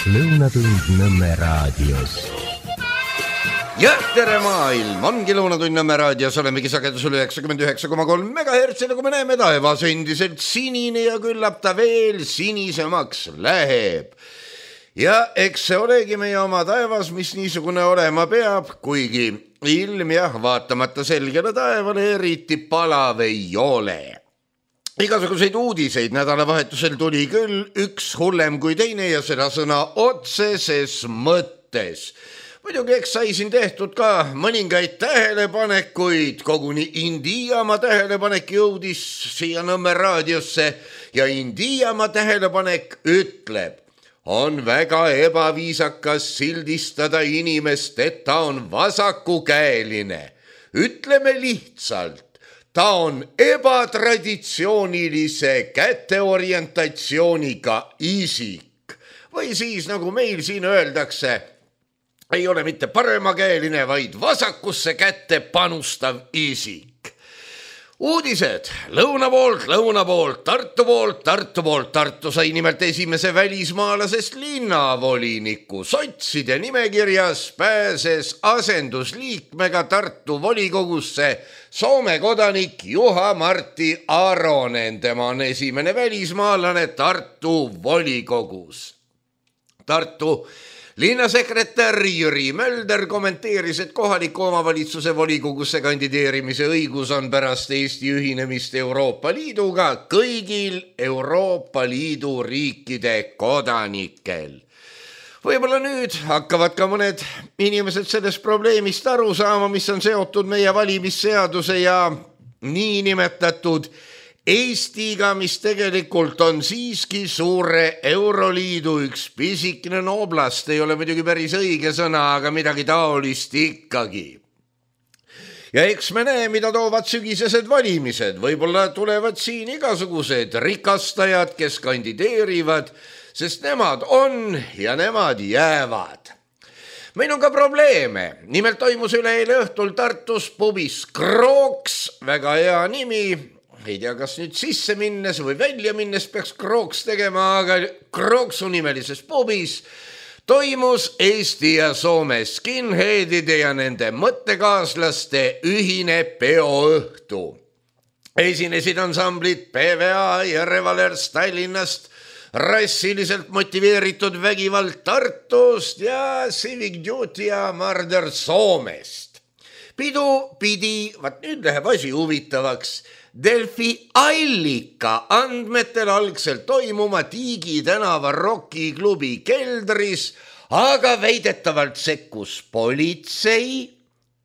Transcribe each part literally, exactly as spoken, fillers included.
Lõunatund Nõmme raadios. Ja tere maailm, ongi Lõunatund Nõmme raadios, olemegi sagedusel üheksakümmend üheksa koma kolm megahertsi, nagu me näeme, taevas endiselt sinine ja küllap ta veel sinisemaks läheb. Ja eks see olegi meie oma taevas, mis niisugune olema peab, kuigi ilm jah, vaatamata selgele taevale eriti palav ei ole. Igasuguseid uudiseid nädalavahetusel tuli küll, üks hullem kui teine ja seda sõna otseses mõttes. Muidugi eks sai siin tehtud ka mõningaid tähelepanekuid, koguni Indiamaa tähelepanek jõudis siia Nõmme raadiosse ja Indiamaa tähelepanek ütleb, on väga ebaviisakas sildistada inimest, et ta on vasakukäeline. Ütleme lihtsalt, ta on ebatraditsioonilise käteorientatsiooniga isik. Või siis, nagu meil siin öeldakse, ei ole mitte paremakäeline, vaid vasakusse kätte panustav isik. Uudised lõuna poolt, lõuna poolt, Tartu poolt, Tartu poolt. Tartu sai nimelt esimese välismaalasest linnavoliniku. Sotside nimekirjas pääses asendusliikmega Tartu volikogusse Soome kodanik Juha-Martti Aronen. Tema on esimene välismaalane Tartu volikogus. Tartu linnasekretär Jüri Mölder kommenteeris, et kohaliku omavalitsuse volikogusse kandideerimise õigus on pärast Eesti ühinemist Euroopa Liiduga kõigil Euroopa Liidu riikide kodanikel. Võib-olla nüüd hakkavad ka mõned inimesed sellest probleemist aru saama, mis on seotud meie valimisseaduse ja niinimetatud Eestiga, mis tegelikult on siiski suure Euroliidu üks pisikene oblast, ei ole muidugi päris õige sõna, aga midagi taolist ikkagi. Ja eks me näe, mida toovad sügisesed valimised. Võib-olla tulevad siin igasugused rikastajad, kes kandideerivad, sest nemad on ja nemad jäävad. Meil on ka probleeme. Nimelt toimus üleeile õhtul Tartus pubis Krooks, väga hea nimi. Ei tea, kas nüüd sisse minnes või välja minnes peaks Krooks tegema, aga Krooksu nimelises pubis toimus Eesti ja Soome skinheadide ja nende mõttekaaslaste ühine peoõhtu. Esinesid ansamblid P V A ja Revalers Tallinnast, rassiliselt motiveeritud vägivald Tartust ja Civic Duty ja Murder Soomest. Pidu pidi, vaat nüüd läheb asi huvitavaks, Delfi allika andmetel algselt toimuma Tiigi tänava rokiklubi keldris, aga väidetavalt sekkus politsei,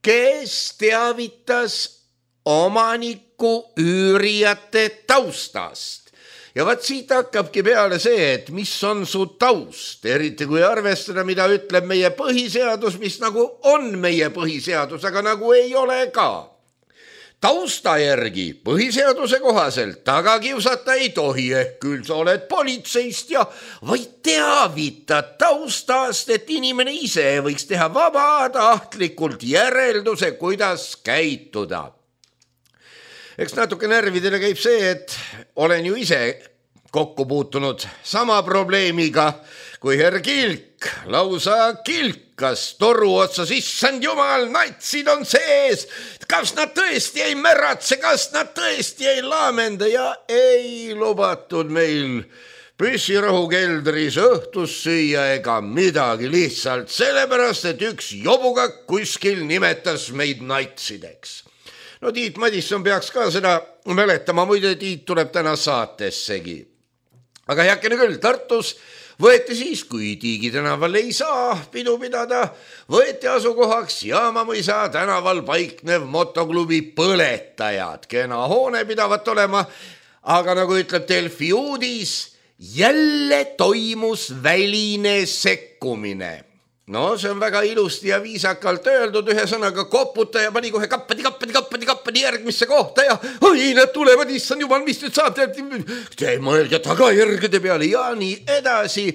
kes teavitas omaniku üürijate taustast. Ja vaat siit hakkabki peale see, et mis on su taust, eriti kui arvestada, mida ütleb meie põhiseadus, mis nagu on meie põhiseadus, aga nagu ei ole ka. Tausta järgi põhiseaduse kohaselt taga kiusata ei tohi, ehk küll sa oled politseist ja vaid teavitad taustast, et inimene ise võiks teha vabatahtlikult järelduse, kuidas käituda. Eks natuke närvidele käib see, et olen ju ise kokku puutunud sama probleemiga, kui herr Kilk lausa kilkas toru otsas, issand jumal, natsid on sees, kas nad tõesti ei märatse, kas nad tõesti ei laamenda ja ei lubatud meil püssirohu keldris õhtus süüa ega midagi, lihtsalt sellepärast, et üks jobukak kuskil nimetas meid natsideks. No Tiit Madisson peaks ka seda mäletama, muide Tiit tuleb täna saatessegi. Aga heakene küll, Tartus võeti siis, kui Tiigi tänaval ei saa pidu pidada, võeti asukohaks Jaamamõisa tänaval paiknev motoklubi Põletajad. Kena hoone pidavat olema, aga nagu ütleb Delfi uudis, jälle toimus väline sekkumine. No see on väga ilusti ja viisakalt öeldud, ühe sõnaga koputaja pani kohe kappadi, kappadi, kappadi, kappadi järgmisse kohta ja oi, nad tulevad, issand jumal, mis nüüd saab, te mõelge tagajärgede peale ja nii edasi.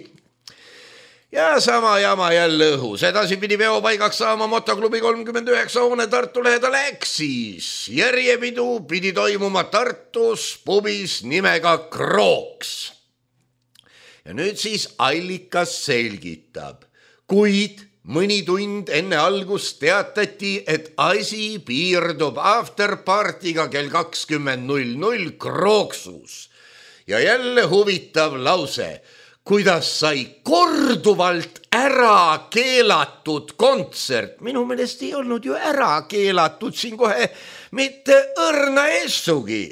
Ja sama jama jälle õhus, edasi pidi veopaigaks saama motoklubi kolmkümmend üheksa hoone Tartu lähedal Äksis. Järjepidu pidi toimuma Tartus pubis nimega Krooks. ja nüüd siis allikas selgitab, kuid mõni tund enne algust teatati, et asi piirdub afterpartiga kell kakskümmend null null Krooksus. Ja jälle huvitav lause, kuidas sai korduvalt ära keelatud kontsert. Minu meelest ei olnud ju ära keelatud siin kohe mitte õrna essugi.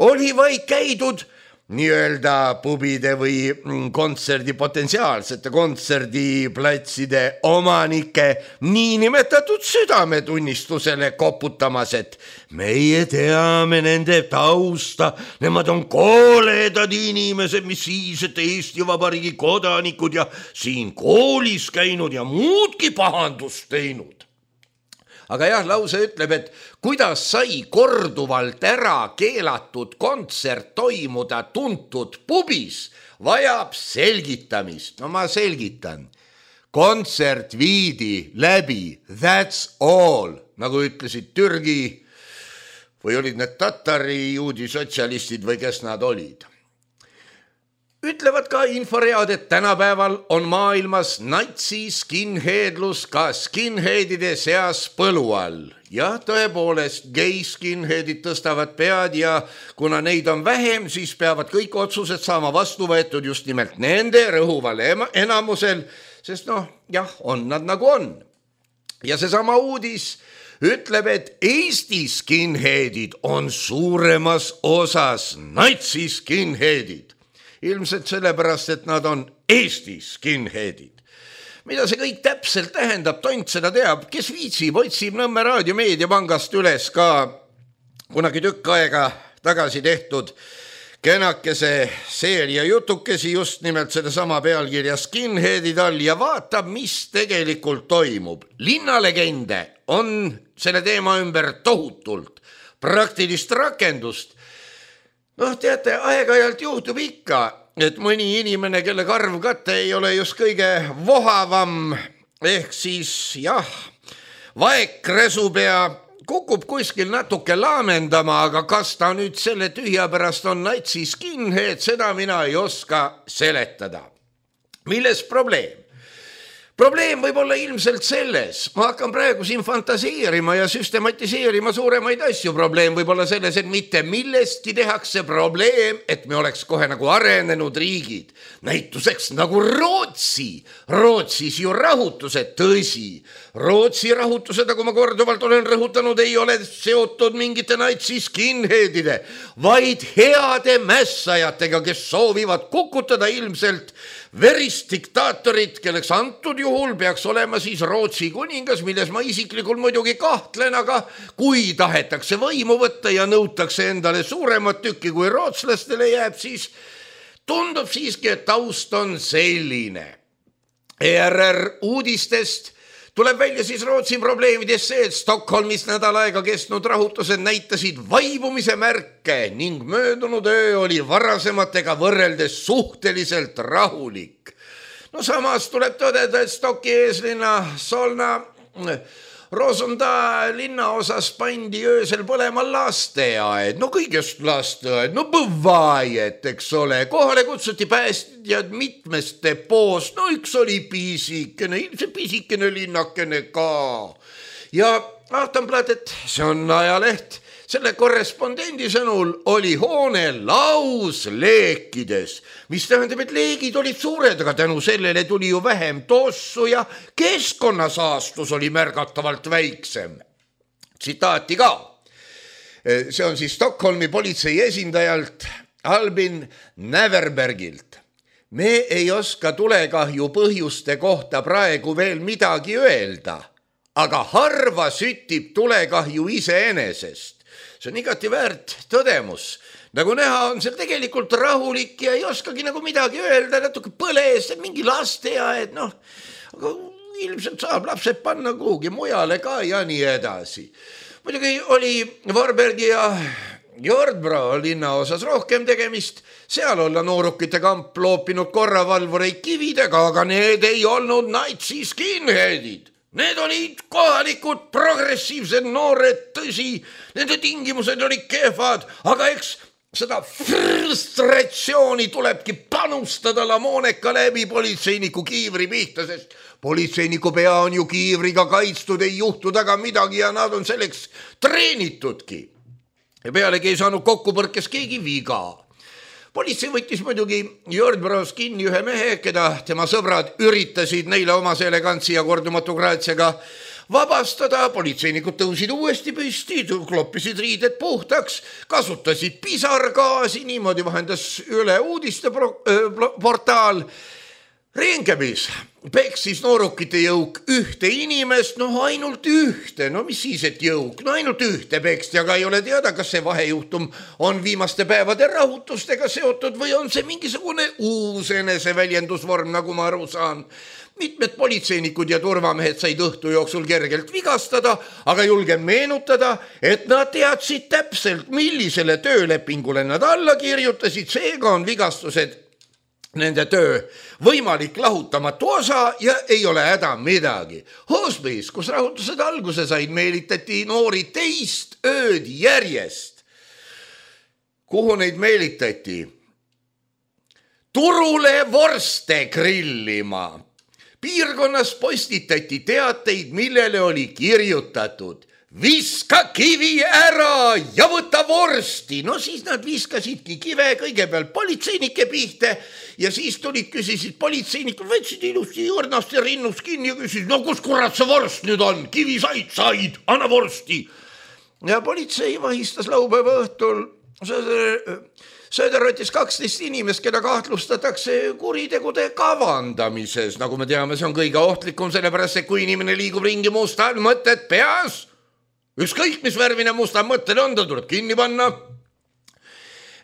Oli vaid käidud nii-öelda pubide või kontserdi potentsiaalsete kontserdiplatside omanike niinimetatud südametunnistusele koputamas, et meie teame nende tausta, nemad on kooledad inimesed, mis siis, et Eesti Vabariigi kodanikud ja siin koolis käinud ja muudki pahandust teinud. Aga jah, lause ütleb, et kuidas sai korduvalt ära keelatud kontsert toimuda tuntud pubis, vajab selgitamist. No ma selgitan. Kontsert viidi läbi, that's all, nagu ütlesid Türgi või olid need tatari juudi sotsialistid või kes nad olid. Ütlevad ka inforead, et tänapäeval on maailmas natsi skinheadlus ka skinheadide seas põlu all. Ja tõepoolest, gei skinheadid tõstavad pead ja kuna neid on vähem, siis peavad kõik otsused saama vastu võetud just nimelt nende rõhuval enamusel, sest noh, jah, on nad nagu on. Ja seesama uudis ütleb, et Eesti skinheadid on suuremas osas natsi skinheadid. Ilmselt sellepärast, et nad on Eesti skinheadid. Mida see kõik täpselt tähendab, tont seda teab, kes viitsib, otsib Nõmme Raadio meediapangast üles ka kunagi tükk aega tagasi tehtud kenakese seeria jutukesi just nimelt sedasama pealkirja skinheadid all ja vaatab, mis tegelikult toimub. Linnalegende on selle teema ümber tohutult, praktilist rakendust. Noh, teate, aeg-ajalt juhtub ikka, et mõni inimene, kelle karv katte ei ole just kõige vohavam, ehk siis jah, vaekresupea kukub kuskil natuke laamendama, aga kas ta nüüd selle tühja pärast on natsi skinhead, seda mina ei oska seletada. Milles probleem? Probleem võib olla ilmselt selles, ma hakkan praegu siin fantaseerima ja süstematiseerima suuremaid asju. Probleem võib olla selles, et mitte millestki tehakse probleem, et me oleks kohe nagu arenenud riigid. Näituseks nagu Rootsi. Rootsis ju rahutused, tõsi. Rootsi rahutused, nagu ma korduvalt olen rõhutanud, ei ole seotud mingite natsi skinheadide, vaid heade mässajatega, kes soovivad kukutada ilmselt verist diktaatorit, kelleks antud juhul peaks olema siis Rootsi kuningas, milles ma isiklikult muidugi kahtlen, aga kui tahetakse võimu võtta ja nõutakse endale suuremat tükki kui rootslastele jääb, siis tundub siiski, et taust on selline. E R R uudistest tuleb välja siis Rootsi probleemidest see, et Stockholmis nädal aega kestnud rahutused näitasid vaibumise märke ning möödunud öö oli varasematega võrreldes suhteliselt rahulik. No samas tuleb tõdeda, et Stocki eeslinna Solna Rosunda linnaosas pandi öösel põlema lasteaed, no kõigest lasteaed, no põvaaed, eks ole, kohale kutsuti päästjad mitmest depoost, no üks oli pisikene, ilmselt pisikene linnakene ka. Ja Aftonbladet, see on ajaleht, selle korrespondendi sõnul oli hoone laus leekides, mis tähendab, et leegid olid suured, aga tänu sellele tuli ju vähem tossu ja keskkonnasaastus oli märgatavalt väiksem. Tsitaati ka. See on siis Stockholmi politsei esindajalt Albin Näverbergilt. Me ei oska tulekahju põhjuste kohta praegu veel midagi öelda, aga harva süttib tulekahju iseenesest. See on igati väärt tõdemus. Nagu näha, on seal tegelikult rahulik ja ei oskagi nagu midagi öelda, natuke põles, mingi lasteaed, noh, aga ilmselt saab lapsed panna kuhugi mujale ka ja nii edasi. Muidugi oli Varbergi ja Jordbro linna osas rohkem tegemist, seal olla noorukite kamp loopinud korravalvureid kividega, aga need ei olnud natsi skinheadid. Need olid kohalikud progressiivsed noored, tõsi, nende tingimused olid kehvad, aga eks seda frustratsiooni tulebki panustada Lamoneka läbi politseiniku kiivri pihta, sest politseiniku pea on ju kiivriga kaitstud, ei juhtu taga midagi ja nad on selleks treenitudki. Ja pealegi ei saanud kokkupõrkes keegi viga. Politsei võttis muidugi Jordbros kinni ühe mehe, keda tema sõbrad üritasid neile omase elegantsi ja kordumatu graatsiaga vabastada. Politseinikud tõusid uuesti püsti, kloppisid riided puhtaks, kasutasid pisargaasi, niimoodi vahendas üle uudiste portaal. Rinkebis peksis noorukite jõuk ühte inimest, no ainult ühte, no mis siis, et jõuk, no ainult ühte peksti, aga ei ole teada, kas see vahejuhtum on viimaste päevade rahutustega seotud või on see mingisugune uus eneseväljendusvorm, nagu ma aru saan. Mitmed politseinikud ja turvamehed said õhtu jooksul kergelt vigastada, aga julgen meenutada, et nad teadsid täpselt, millisele töölepingule nad alla kirjutasid, seega on vigastused nende töö võimalik lahutamatu osa ja ei ole häda midagi. Hospice, kus rahutused alguse said, meelitati noori teist ööd järjest. Kuhu neid meelitati? Turule vorste grillima. Piirkonnas postitati teateid, millele oli kirjutatud: viska kivi ära ja võta vorsti. No siis nad viskasidki kive kõigepealt politseinike pihte ja siis tulid, küsisid politseinikud, võtsid ilusti õrnast ja rinnust kinni ja küsisid, no kus kurat see vorst nüüd on? Kivi said, said, anna vorsti. Ja politsei vahistas laupäeva õhtul Sööderrotis kaksteist inimest, keda kahtlustatakse kuritegude kavandamises. Nagu me teame, see on kõige ohtlikum, sellepärast, et kui inimene liigub ringi mustal mõtted peas, ükskõik mis värvine musta mõtted on, ta tuleb kinni panna.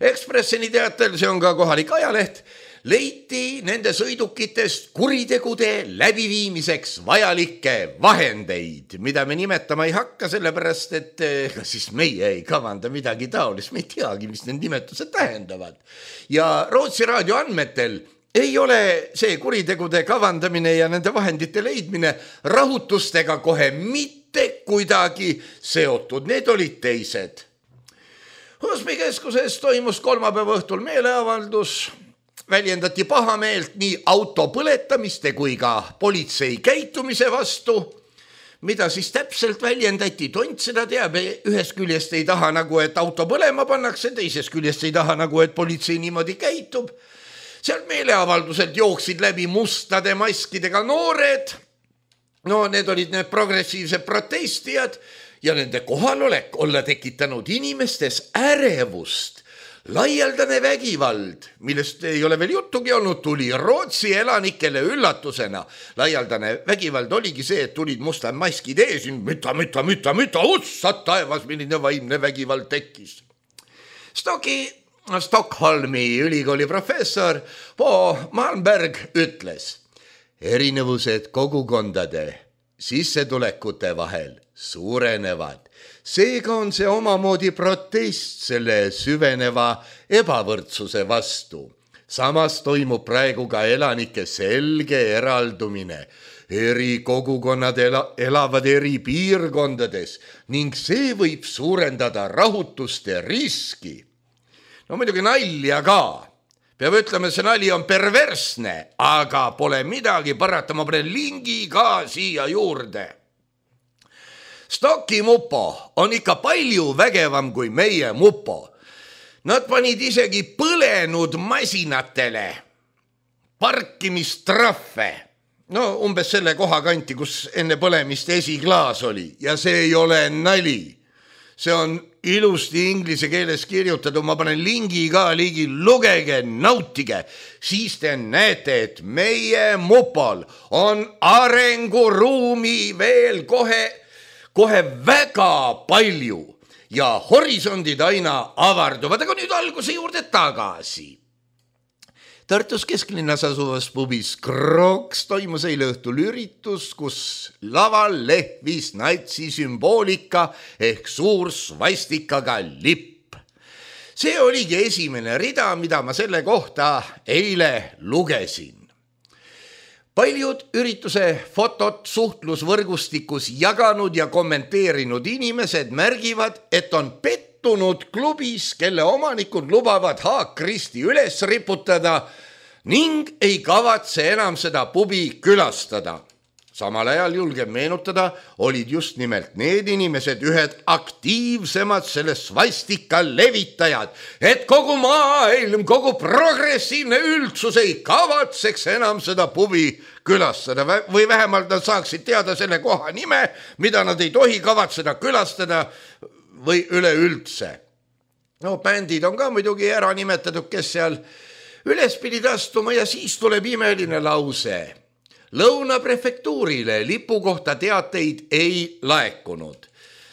Ekspressini teatel, see on ka kohalik ajaleht, leiti nende sõidukitest kuritegude läbiviimiseks vajalikke vahendeid, mida me nimetama ei hakka, sellepärast, et ega siis meie ei kavanda midagi taolist, me ei teagi, mis need nimetused tähendavad. Ja Rootsi raadio andmetel ei ole see kuritegude kavandamine ja nende vahendite leidmine rahutustega kohe mitte kuidagi seotud, need olid teised. Hospice keskuses toimus kolmapäeva õhtul meeleavaldus, väljendati pahameelt nii auto põletamiste kui ka politsei käitumise vastu, mida siis täpselt väljendati, tont seda teab, ühest küljest ei taha nagu, et auto põlema pannakse, teisest küljest ei taha nagu, et politsei niimoodi käitub. Sealt meeleavalduselt jooksid läbi mustade maskidega noored, no need olid need progressiivsed protestijad ja nende kohalolek olla tekitanud inimestes ärevust. Laialdane vägivald, millest ei ole veel juttugi olnud, tuli Rootsi elanikele üllatusena. Laialdane vägivald oligi see, et tulid mustad maskid ees, müta, müta, müta, müta, ussad taevas, milline vaimne vägivald tekkis. Stoki, Stockholmi ülikooli professor Po Malmberg ütles, erinevused kogukondade sissetulekute vahel suurenevad. Seega on see omamoodi protest selle süveneva ebavõrdsuse vastu. Samas toimub praegu ka elanike selge eraldumine. Eri kogukonnad elavad eri piirkondades ning see võib suurendada rahutuste riski. No muidugi nalja ka. Peab ütlema, see nali on perversne, aga pole midagi parata, ma panen lingi ka siia juurde. Stocki mupo on ikka palju vägevam kui meie mupo. Nad panid isegi põlenud masinatele parkimistrahve. No umbes selle koha kanti, kus enne põlemist esiklaas oli. Ja see ei ole nali. See on ilusti inglise keeles kirjutatud. Ma panen lingi ka ligi, lugege, nautige. Siis te näete, et meie mupol on arenguruumi veel kohe kohe väga palju ja horisondid aina avarduvad, aga nüüd alguse juurde tagasi. Tartus kesklinnas asuvas pubis Kroks toimus eile õhtul üritus, kus laval lehvis natsi sümboolika ehk suur svastikaga lipp. See oligi esimene rida, mida ma selle kohta eile lugesin. Paljud ürituse fotot suhtlusvõrgustikus jaganud ja kommenteerinud inimesed märgivad, et on pettunud pettunud klubis, kelle omanikud lubavad haakristi üles riputada ning ei kavatse enam seda pubi külastada. Samal ajal julgen meenutada, olid just nimelt need inimesed ühed aktiivsemad selle svastika levitajad, et kogu maailm, kogu progressiivne üldsus ei kavatseks enam seda pubi külastada või vähemalt nad saaksid teada selle koha nime, mida nad ei tohi kavatseda külastada või üleüldse. No bändid on ka muidugi ära nimetatud, kes seal üles pidid astuma ja siis tuleb imeline lause. Lõuna prefektuurile lipu kohta teateid ei laekunud.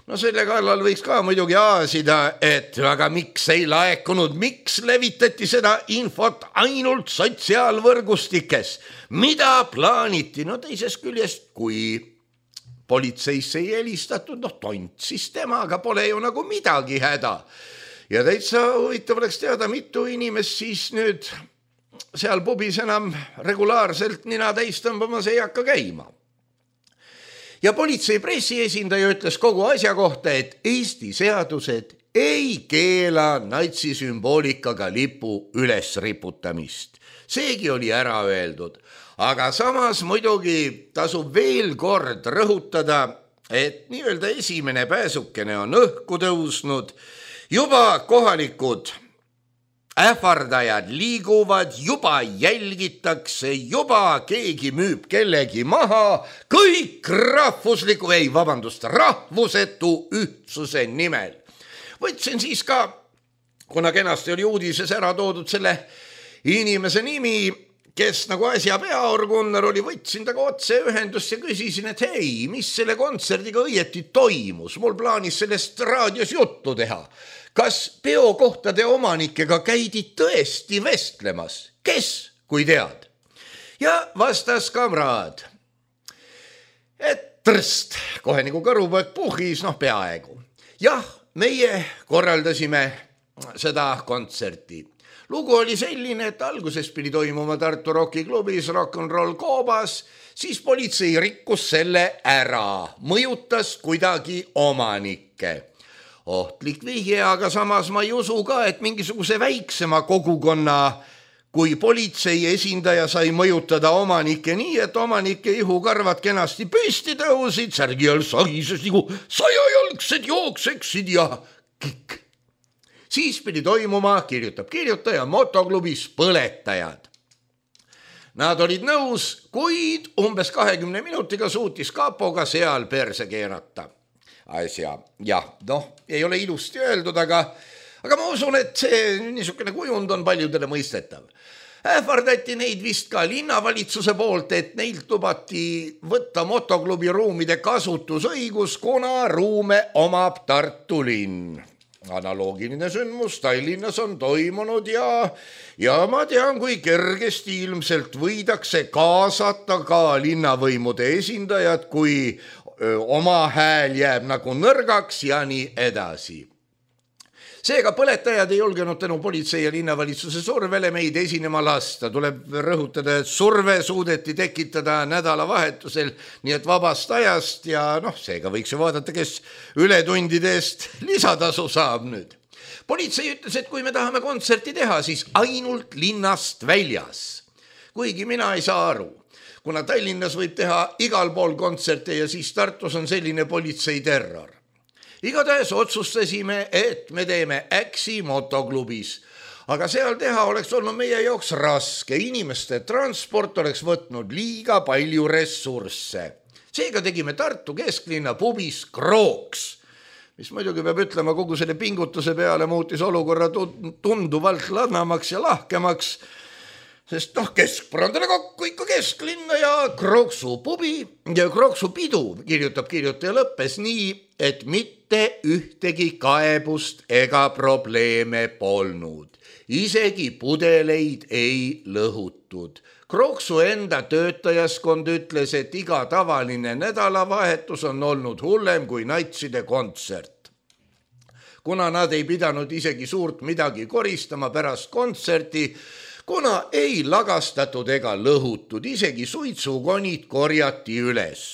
No selle kallal võiks ka muidugi aasida, et aga miks ei laekunud, miks levitati seda infot ainult sotsiaalvõrgustikes? Mida plaaniti? No teisest küljest, kui politseisse ei helistatud, no tont, siis temaga pole ju nagu midagi häda. Ja täitsa huvitav oleks teada, mitu inimest siis nüüd seal pubis enam regulaarselt nina täis tõmbamas ei hakka käima. Ja politsei pressiesindaja ütles kogu asja kohta, et Eesti seadused ei keela natsisümboolikaga lipu üles riputamist. Seegi oli ära öeldud, aga samas muidugi tasub veel kord rõhutada, et nii-öelda esimene pääsukene on õhku tõusnud, juba kohalikud ähvardajad liiguvad, juba jälgitakse, juba keegi müüb kellegi maha, kõik rahvusliku, ei vabandust, rahvusetu ühtsuse nimel. Võtsin siis ka, kuna kenasti oli uudises ära toodud selle inimese nimi, kes nagu asja peaorgunnar oli, võtsin taga otse ühendust ja küsisin, et hei, mis selle kontserdiga õieti toimus? Mul plaanis sellest raadios juttu teha. Kas peokohtade omanikega käidi tõesti vestlemas? Kes, kui tead? Ja vastas kamraad, et trst, kohe nagu kõrupoeg puhis, noh peaaegu. Jah, meie korraldasime seda kontserti. Lugu oli selline, et alguses pidi toimuma Tartu Rocki klubis Rock and Roll Koobas, siis politsei rikkus selle ära, mõjutas kuidagi omanikke. Ohtlik vihje, aga samas ma ei usu ka, et mingisuguse väiksema kogukonna, kui politsei esindaja sai mõjutada omanikke nii, et omanike ihukarvad kenasti püsti tõusid, särgi all sagises nagu sajajalgsed jookseksid ja kikk. Siis pidi toimuma, kirjutab kirjutaja, motoklubis põletajad. Nad olid nõus, kuid umbes kahekümne minutiga suutis kapoga seal perse keerata. Asja, jah, noh, ei ole ilusti öeldud, aga, aga ma usun, et see niisugune kujund on paljudele mõistetav. Ähvardati neid vist ka linnavalitsuse poolt, et neilt lubati võtta motoklubi ruumide kasutusõigus, kuna ruume omab Tartu linn. Analoogiline sündmus Tallinnas on toimunud ja, ja ma tean, kui kergesti ilmselt võidakse kaasata ka linnavõimude esindajad, kui oma hääl jääb nagu nõrgaks ja nii edasi. Seega põletajad ei julgenud tänu politsei ja linnavalitsuse survele meid esinema lasta. Tuleb rõhutada, et surve suudeti tekitada nädalavahetusel, nii et vabast ajast ja noh, seega võiks ju vaadata, kes ületundide eest lisatasu saab nüüd. Politsei ütles, et kui me tahame kontserti teha, siis ainult linnast väljas. Kuigi mina ei saa aru. Kuna Tallinnas võib teha igal pool kontserte ja siis Tartus on selline politsei terror. Igatahes otsustasime, et me teeme Äksi motoklubis, aga seal teha oleks olnud meie jaoks raske. Inimeste transport oleks võtnud liiga palju ressursse. Seega tegime Tartu kesklinna pubis Krooks, mis muidugi peab ütlema kogu selle pingutuse peale muutis olukorra tunduvalt ladnamaks ja lahkemaks, sest noh, keskpõrandale kokku ikka kesklinna ja Krooksu pubi ja Krooksu pidu, kirjutab kirjutaja, lõppes nii, et mitte ühtegi kaebust ega probleeme polnud. Isegi pudeleid ei lõhutud. Krooksu enda töötajaskond ütles, et iga tavaline nädalavahetus on olnud hullem kui natside kontsert. Kuna nad ei pidanud isegi suurt midagi koristama pärast kontserti, kuna ei lagastatud ega lõhutud, isegi suitsukonid korjati üles.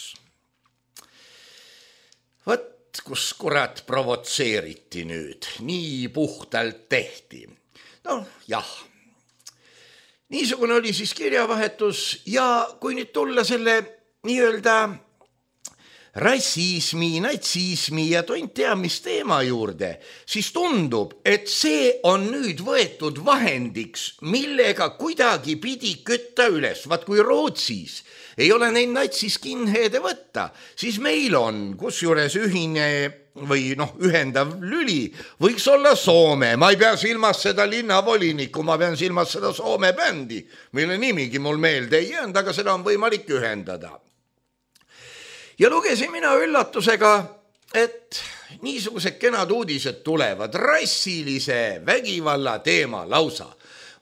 Võt kus kurat provotseeriti nüüd, nii puhtalt tehti. No jah, niisugune oli siis kirjavahetus ja kui nüüd tulla selle nii-öelda rassismi, natsismi ja tont tea mis teema juurde, siis tundub, et see on nüüd võetud vahendiks, millega kuidagi pidi kütta üles. Vaat kui Rootsis ei ole neid natsiskinheede võtta, siis meil on, kus juures ühine või noh, ühendav lüli võiks olla Soome. Ma ei pea silmas seda linnavolinikku, ma pean silmas seda Soome bändi, mille nimigi mul meelde ei jäänud, aga seda on võimalik ühendada. Ja lugesin mina üllatusega, et niisugused kenad uudised tulevad rassilise vägivalla teema lausa.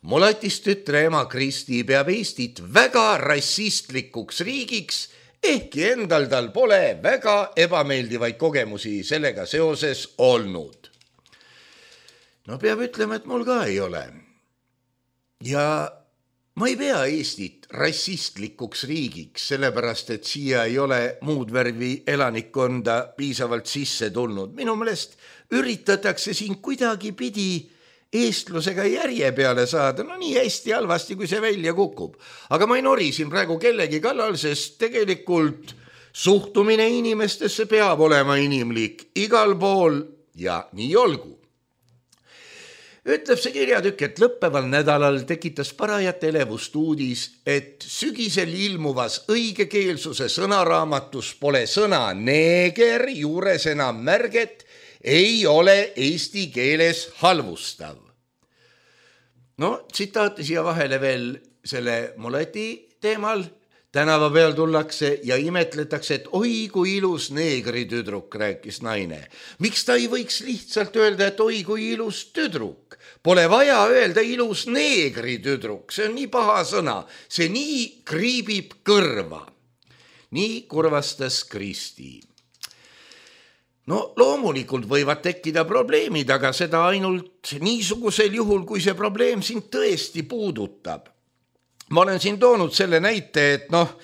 Mulatist tütre ema Kristi peab Eestit väga rassistlikuks riigiks, ehkki endal tal pole väga ebameeldivaid kogemusi sellega seoses olnud. No peab ütlema, et mul ka ei ole. Ja ma ei pea Eestit rassistlikuks riigiks, sellepärast, et siia ei ole muud värvi elanikkonda piisavalt sisse tulnud. Minu meelest üritatakse siin kuidagi pidi eestlusega järje peale saada, no nii hästi halvasti, kui see välja kukub. Aga ma ei nori siin praegu kellegi kallal, sest tegelikult suhtumine inimestesse peab olema inimlik igal pool ja nii olgu. Ütleb see kirjatükk, et lõppeval nädalal tekitas parajat elevust uudis, et sügisel ilmuvas õigekeelsuse sõnaraamatus pole sõna neeger juures enam märget, ei ole eesti keeles halvustav. No, tsitaati siia vahele veel selle mulati teemal. Tänava peal tullakse ja imetletakse, et oi kui ilus neegri tüdruk, rääkis naine. Miks ta ei võiks lihtsalt öelda, et oi kui ilus tüdruk? Pole vaja öelda ilus neegri tüdruk, see on nii paha sõna, see nii kriibib kõrva. Nii kurvastas Kristi. No loomulikult võivad tekkida probleemid, aga seda ainult niisugusel juhul, kui see probleem sind tõesti puudutab. Ma olen siin toonud selle näite, et noh,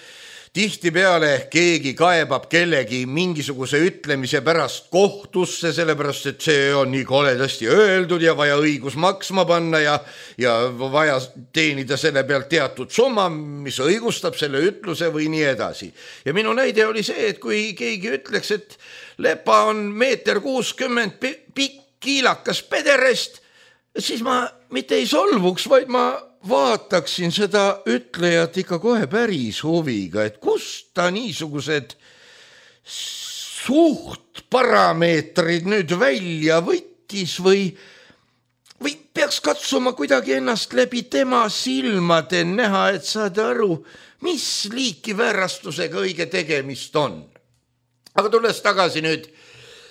tihtipeale keegi kaebab kellegi mingisuguse ütlemise pärast kohtusse, sellepärast, et see on nii koledasti öeldud ja vaja õigus maksma panna ja, ja vaja teenida selle pealt teatud summa, mis õigustab selle ütluse või nii edasi. Ja minu näide oli see, et kui keegi ütleks, et lepa on meeter kuuskümmend pikk kiilakas pederest, siis ma mitte ei solvuks, vaid ma vaataksin seda ütlejat ikka kohe päris huviga, et kust ta niisugused suhtparameetrid nüüd välja võttis või, või peaks katsuma kuidagi ennast läbi tema silmade näha, et saada aru, mis liiki väärastusega õige tegemist on. Aga tulles tagasi nüüd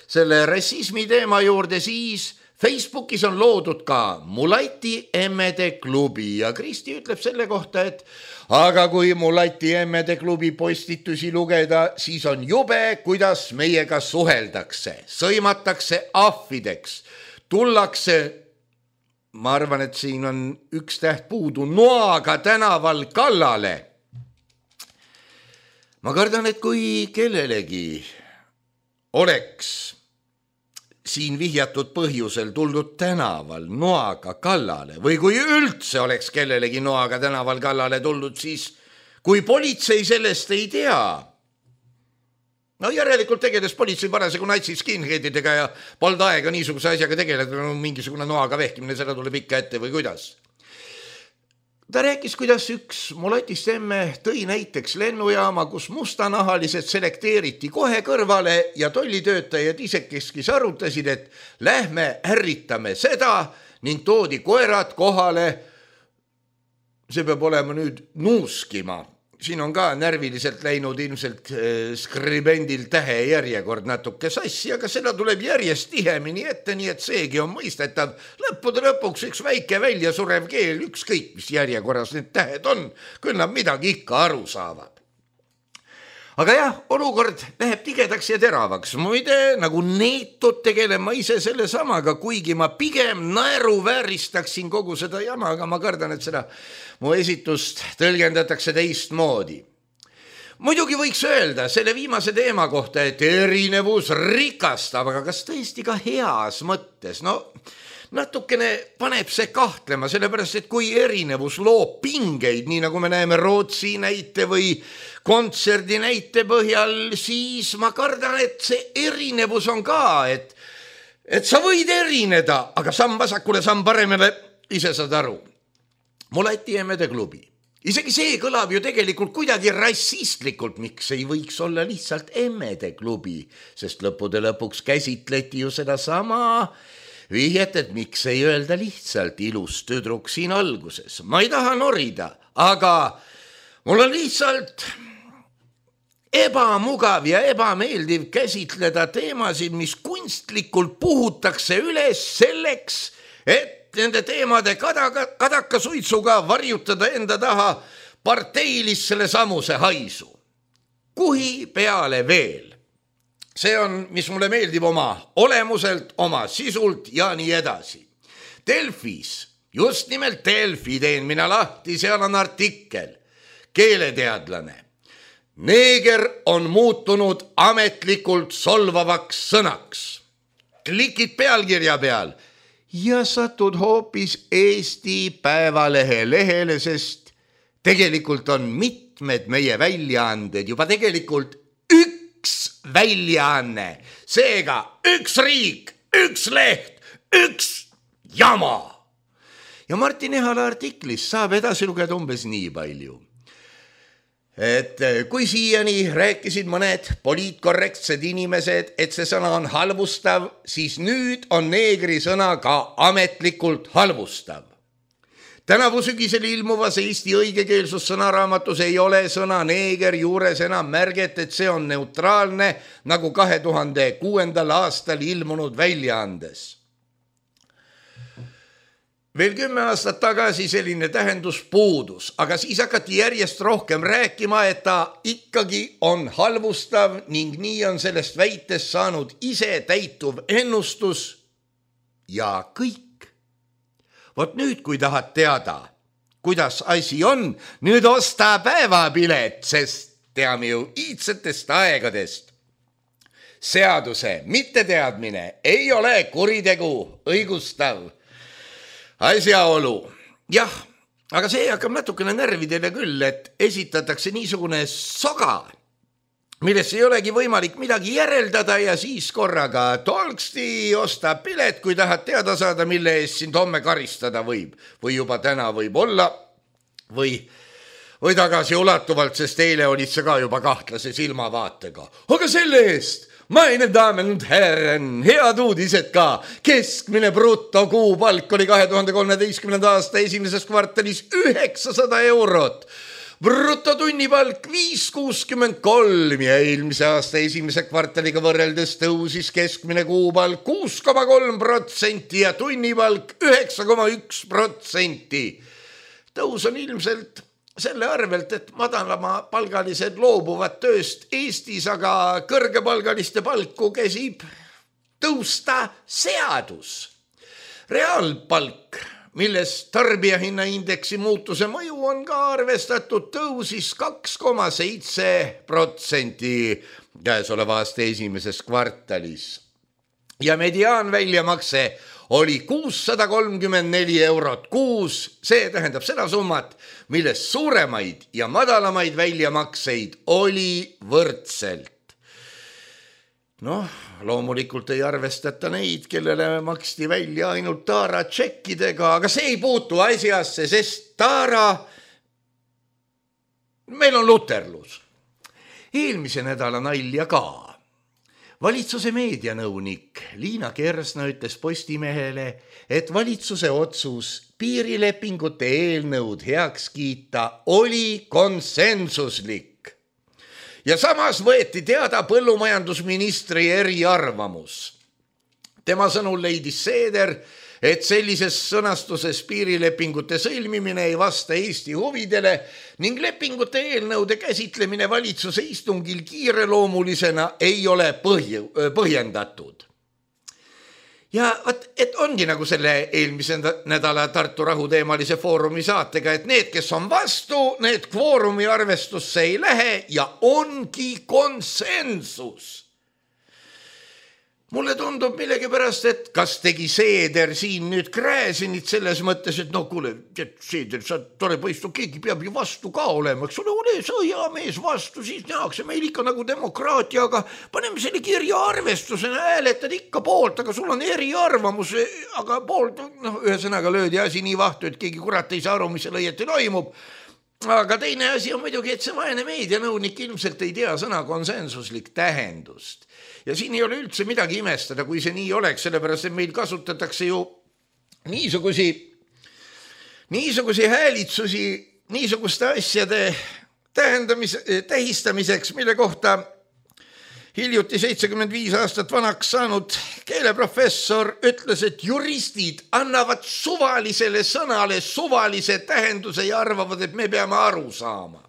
selle rassismi teema juurde, siis Facebookis on loodud ka Mulati emmede klubi ja Kristi ütleb selle kohta, et aga kui Mulati emmede klubi postitusi lugeda, siis on jube, kuidas meiega suheldakse, sõimatakse ahvideks, tullakse, ma arvan, et siin on üks täht puudu, noaga tänaval kallale. Ma kardan, et kui kellelegi oleks siin vihjatud põhjusel tuldud tänaval noaga kallale või kui üldse oleks kellelegi noaga tänaval kallale tuldud, siis kui politsei sellest ei tea. No järelikult tegeles politsei parasjagu natsiskinheadidega ja polnud aega niisuguse asjaga tegeleda, no mingisugune noaga vehkimine, seda tuleb ikka ette või kuidas. Ta rääkis, kuidas üks mulatist emme tõi näiteks lennujaama, kus mustanahalised selekteeriti kohe kõrvale ja tollitöötajad isekeskis arutasid, et lähme ärritame seda ning toodi koerad kohale. See peab olema nüüd nuuskima. Siin on ka närviliselt läinud ilmselt skribendil tähe järjekord natuke sassi, aga seda tuleb järjest tihemini ette, nii et seegi on mõistetav. Lõppude lõpuks üks väike välja surev keel, ükskõik mis järjekorras need tähed on, küll nad midagi ikka aru saavad. Aga jah, olukord läheb tigedaks ja teravaks. Muide, nagu neetud tegelen ma ise selle samaga, kuigi ma pigem naeru vääristaksin kogu seda jama, aga ma kardan, et seda mu esitust tõlgendatakse teistmoodi. muidugi võiks öelda selle viimase teema kohta, et erinevus rikastab, aga kas tõesti ka heas mõttes? No natukene paneb see kahtlema, sellepärast, et kui erinevus loob pingeid, nii nagu me näeme Rootsi näite või kontserdi näite põhjal, siis ma kardan, et see erinevus on ka, et, et sa võid erineda, aga samm vasakule, samm paremale, ise saad aru. Mulati Emmede klubi. Isegi see kõlab ju tegelikult kuidagi rassistlikult, miks ei võiks olla lihtsalt Emmede klubi, sest lõppude lõpuks käsitleti ju seda sama vihjet, et miks ei öelda lihtsalt ilus tüdruk siin alguses. Ma ei taha norida, aga mul on lihtsalt ebamugav ja ebameeldiv käsitleda teemasid, mis kunstlikult puhutakse üles selleks, et nende teemade kadaka, kadaka suitsuga varjutada enda taha parteilis selle samuse haisu. Kuhi peale veel. See on, mis mulle meeldib oma olemuselt, oma sisult ja nii edasi. Delfis, just nimelt Delfi teen mina lahti, seal on artikkel. Keeleteadlane. Neeger on muutunud ametlikult solvavaks sõnaks. Klikid pealkirja peal ja satud hoopis Eesti Päevalehe lehele, sest tegelikult on mitmed meie väljaanded juba tegelikult üks väljaanne. Seega üks riik, üks leht, üks jama. Ja Martin Ehala artiklis saab edasi lugeda umbes nii palju. Et kui siiani rääkisid mõned poliitkorrektsed inimesed, et see sõna on halvustav, siis nüüd on neegri sõna ka ametlikult halvustav. Tänavu sügisel ilmuvas Eesti õigekeelsus sõnaraamatus ei ole sõna neeger juures enam märget, et see on neutraalne, nagu kahe tuhande kuuendal aastal ilmunud väljaandes. Veel kümme aastat tagasi selline tähendus puudus, aga siis hakati järjest rohkem rääkima, et ta ikkagi on halvustav ning nii on sellest väitest saanud ise täituv ennustus ja kõik. Vot nüüd, kui tahad teada, kuidas asi on, nüüd osta päevapilet, sest teame ju iidsetest aegadest. Seaduse mitteteadmine ei ole kuritegu õigustav asjaolu. Jah, aga see hakkab natukene närvidele küll, et esitatakse niisugune soga, millest ei olegi võimalik midagi järeldada ja siis korraga tolksti osta pilet, kui tahad teada saada, mille eest sind homme karistada võib. Või juba täna võib olla või, või tagasi ulatuvalt, sest eile olid see ka juba kahtlase silmavaatega. Aga selle eest meine Damen und Herren, head uudised ka. Keskmine bruto kuupalk oli kahe tuhande kolmeteistkümnenda aasta esimeses kvartalis üheksasada eurot. Bruto tunnipalk viis kuuskümmend kolm ja eelmise aasta esimese kvartaliga võrreldes tõusis keskmine kuupalk kuus koma kolm protsenti ja tunnipalk üheksa koma üks protsenti. Tõus on ilmselt selle arvelt, et madalama palgalised loobuvad tööst Eestis, aga kõrgepalgaliste palku käsib tõusta seadus. Reaalpalk, milles tarbijahinnaindeksi muutuse mõju on ka arvestatud, tõusis kaks koma seitse protsenti käesoleva aasta esimeses kvartalis. Ja mediaan väljamakse oli kuussada kolmkümmend neli eurot kuus, see tähendab seda summat, milles suuremaid ja madalamaid väljamakseid oli võrdselt. Noh, loomulikult ei arvestata neid, kellele maksti välja ainult Taara tšekkidega, aga see ei puutu asjasse, sest Taara, meil on luterlus. Eelmise nädala nalja ka. Valitsuse meedianõunik Liina Kersna ütles Postimehele, et valitsuse otsus piirilepingute eelnõud heaks kiita oli konsensuslik. Ja samas võeti teada põllumajandusministri eriarvamus. Tema sõnul leidis Seeder, et sellises sõnastuses piirilepingute sõlmimine ei vasta Eesti huvidele ning lepingute eelnõude käsitlemine valitsuse istungil kiireloomulisena ei ole põhj- põhjendatud. ja võt, et ongi nagu selle eelmise nädala Tartu rahuteemalise foorumi saatega, et need, kes on vastu, need kvoorumi arvestusse ei lähe ja ongi konsensus. Mulle tundub millegipärast, et kas tegi Seeder siin nüüd Gräzinit selles mõttes, et no kuule, Seeder, sa tore poiss, no keegi peab ju vastu ka olema, eks ole, ole sa hea mees vastu, siis nähakse meil ikka nagu demokraatia, aga paneme selle kirja arvestusena, hääletad ikka poolt, aga sul on eriarvamus, aga poolt, noh, ühesõnaga löödi asi nii vahtu, et keegi kurat ei saa aru, mis seal õieti toimub. Aga teine asi on muidugi, et see vaene meedianõunik ilmselt ei tea sõna konsensuslik tähendust. Ja siin ei ole üldse midagi imestada, kui see nii oleks, sellepärast, et meil kasutatakse ju niisugusi, niisugusi häälitsusi, niisuguste asjade tähendamis, tähistamiseks, mille kohta hiljuti seitsekümmend viis aastat vanaks saanud keeleprofessor ütles, et juristid annavad suvalisele sõnale suvalise tähenduse ja arvavad, et me peame aru saama.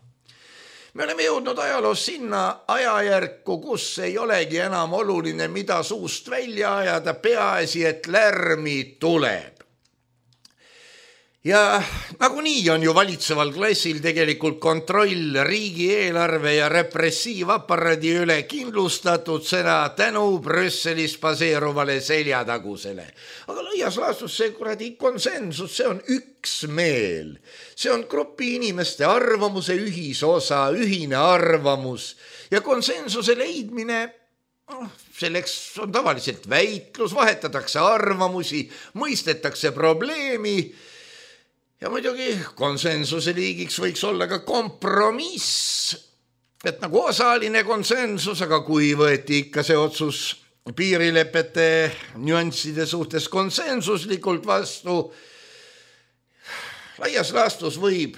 Me oleme jõudnud ajaloos sinna ajajärku, kus ei olegi enam oluline, mida suust välja ajada, peaasi, et lärmi tuleb. Ja nagunii on ju valitseval klassil tegelikult kontroll riigieelarve ja repressiivaparaadi üle kindlustatud seda tänu Brüsselis baseeruvale seljatagusele. Aga laias laastus see kuradi konsensus, see on üksmeel. See on grupi inimeste arvamuse ühisosa, ühine arvamus ja konsensuse leidmine, selleks on tavaliselt väitlus, vahetatakse arvamusi, mõistetakse probleemi. Ja muidugi konsensuse liigiks võiks olla ka kompromiss, et nagu osaline konsensus, aga kui võeti ikka see otsus piirilepete nüansside suhtes konsensuslikult vastu, laias laastus võib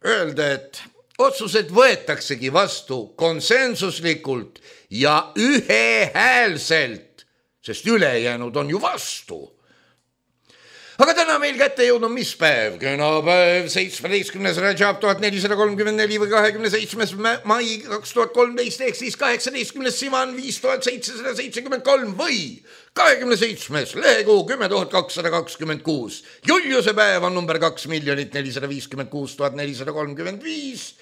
öelda, et otsused võetaksegi vastu konsensuslikult ja ühehäälselt, sest ülejäänud on ju vastu. Aga täna meil kätte jõudnud mis päev? Könapäev, seitsmeteistkümnes Rajab tuhat nelisada kolmkümmend neli või kahekümne seitsmes mai kaks tuhat kolmteist ehk siis kaheksateistkümnes Sivan viis tuhat seitsesada seitsekümmend kolm või kahekümne seitsmes lehekuu kümme tuhat kakssada kakskümmend kuus. Juliuse päev on number kaks miljonit nelisada viiskümmend kuus tuhat nelisada kolmkümmend viis.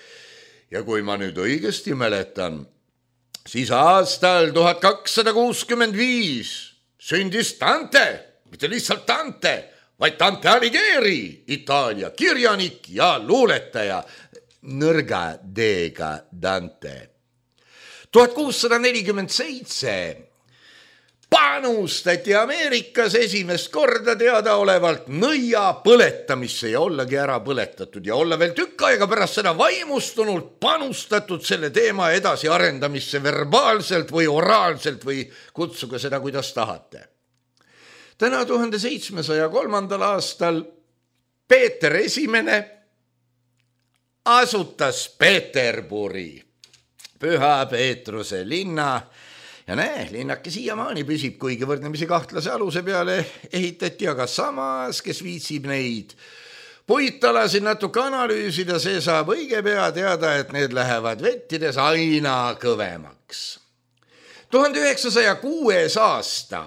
Ja kui ma nüüd õigesti mäletan, siis aastal tuhat kakssada kuuskümmend viis sündis Dante, mitte lihtsalt Dante, vaid Dante Alighieri, Itaalia kirjanik ja luuletaja, nõrga D-ga Dante. tuhat kuussada nelikümmend seitse panustati Ameerikas esimest korda teadaolevalt nõia põletamisse ja ollagi ära põletatud ja olla veel tükk aega pärast seda vaimustunult panustatud selle teema edasi arendamisse verbaalselt või oraalselt või kutsuge seda, kuidas tahate. Täna tuhande seitsmesaja kolmandal aastal Peeter Esimene asutas Peterburi, Püha Peetruse linna ja näe, linnake siiamaani püsib, kuigi võrdlemisi kahtlase aluse peale ehitati, aga samas, kes viitsib neid puitalasid natuke analüüsida, see saab õige pea teada, et need lähevad vettides aina kõvemaks. tuhande üheksasaja kuues aasta.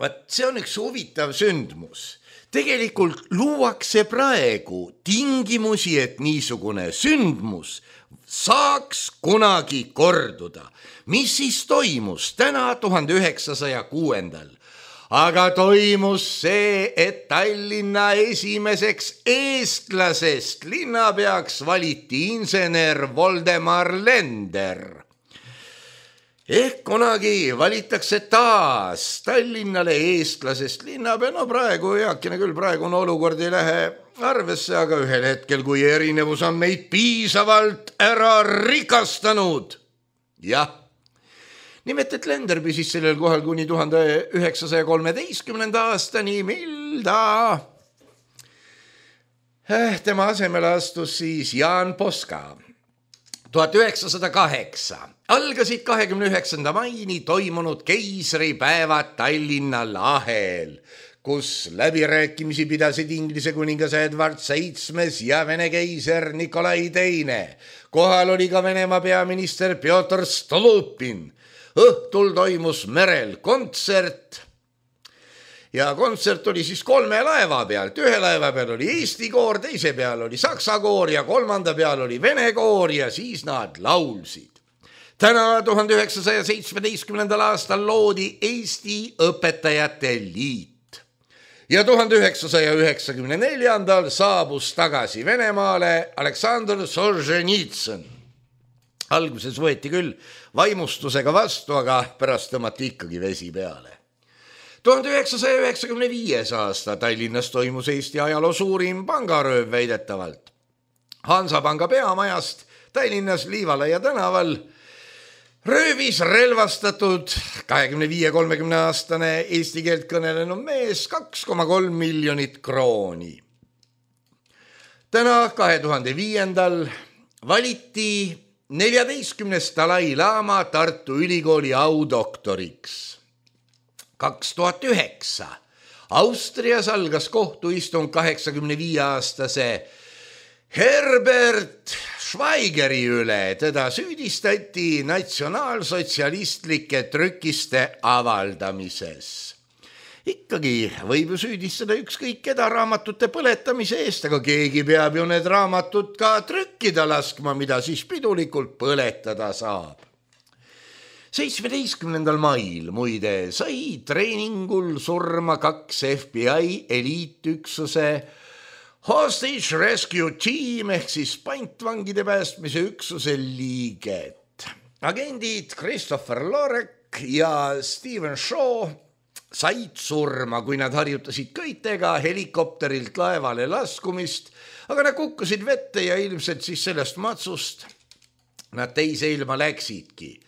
Vaat see on üks huvitav sündmus. Tegelikult luuakse praegu tingimusi, et niisugune sündmus saaks kunagi korduda. Mis siis toimus täna tuhande üheksasaja kuuendal? Aga toimus see, et Tallinna esimeseks eestlasest linnapeaks valiti insener Voldemar Lender. Ehk kunagi valitakse taas Tallinnale eestlasest linnapea, no praegu eakene küll, praegu on olukord ei lähe arvesse, aga ühel hetkel, kui erinevus on meid piisavalt ära rikastanud. Jah, nimelt, et Lender püsis sellel kohal kuni tuhande üheksasaja kolmeteistkümnenda aastani, mil ta tema asemele astus siis Jaan Poska. tuhat üheksasada kaheksa algasid kahekümne üheksanda maini toimunud keisripäevad Tallinna lahel, kus läbirääkimisi pidasid Inglise kuningas Edward seitsmes ja Vene keiser Nikolai teine. Kohal oli ka Venemaa peaminister Pjotr Stolupin. õhtul toimus merel kontsert ja kontsert oli siis kolme laeva pealt. Ühe laeva peal oli Eesti koor, teise peal oli Saksa koor ja kolmanda peal oli Vene koor ja siis nad laulsid. Täna tuhande üheksasaja seitsmeteistkümnendal aastal loodi Eesti Õpetajate Liit ja tuhande üheksasaja üheksakümne neljandal saabus tagasi Venemaale Aleksandr Solženitsõn. Alguses võeti küll vaimustusega vastu, aga pärast tõmmati ikkagi vesi peale. tuhande üheksasaja üheksakümne viies aasta Tallinnas toimus Eesti ajaloo suurim pangarööv väidetavalt. Hansapanga peamajast Tallinnas Liivalaia tänaval röövis relvastatud kahekümne viie kolmekümne aastane eesti keelt kõnelenud mees kaks koma kolm miljonit krooni. Täna kahe tuhande viiendal valiti neljateistkümnes Dalai Lama Tartu Ülikooli audoktoriks. kaks tuhat üheksa Austrias algas kohtuistung kaheksakümne viie aastase Herbert Schweigeri üle. Teda süüdistati natsionaalsotsialistlike trükiste avaldamises. Ikkagi võib ju süüdistada ükskõik keda raamatute põletamise eest, aga keegi peab ju need raamatud ka trükkida laskma, mida siis pidulikult põletada saab. seitsmeteistkümnendal mail muide sai treeningul surma kaks F B I eliitüksuse Hostage Rescue Team ehk siis pantvangide päästmise üksuse liiget. Agendid Christopher Lorek ja Steven Shaw said surma, kui nad harjutasid köitega helikopterilt laevale laskumist, aga nad kukkusid vette ja ilmselt siis sellest matsust nad teise ilma läksidki.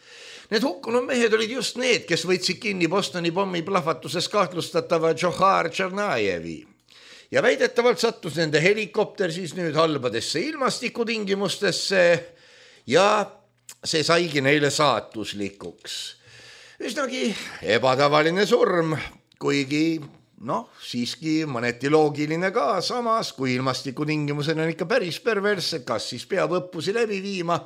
Need hukkunud mehed olid just need, kes võtsid kinni Bostoni pommi plahvatuses kahtlustatava Džohar Tšernajevi. Ja väidetavalt sattus nende helikopter siis nüüd halbadesse ilmastikutingimustesse ja see saigi neile saatuslikuks. Üsnagi ebatavaline surm, kuigi noh, siiski mõneti loogiline ka, samas kui ilmastikutingimused on ikka päris perverssed, kas siis peab õppusi läbi viima.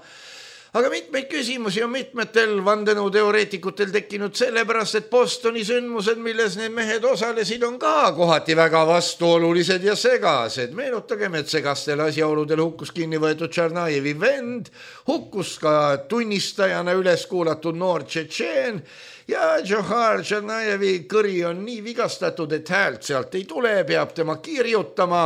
Aga mitmeid küsimusi on mitmetel vandenõuteoreetikutel tekkinud sellepärast, et Bostoni sündmused, milles need mehed osalesid, on ka kohati väga vastuolulised ja segased. Meenutagem, et segastel asjaoludel hukkus kinni võetud Tšernajevi vend, hukkus ka tunnistajana üles kuulatud noor tšetšeen ja Džohar Tšernajevi kõri on nii vigastatud, et häält sealt ei tule, peab tema kirjutama.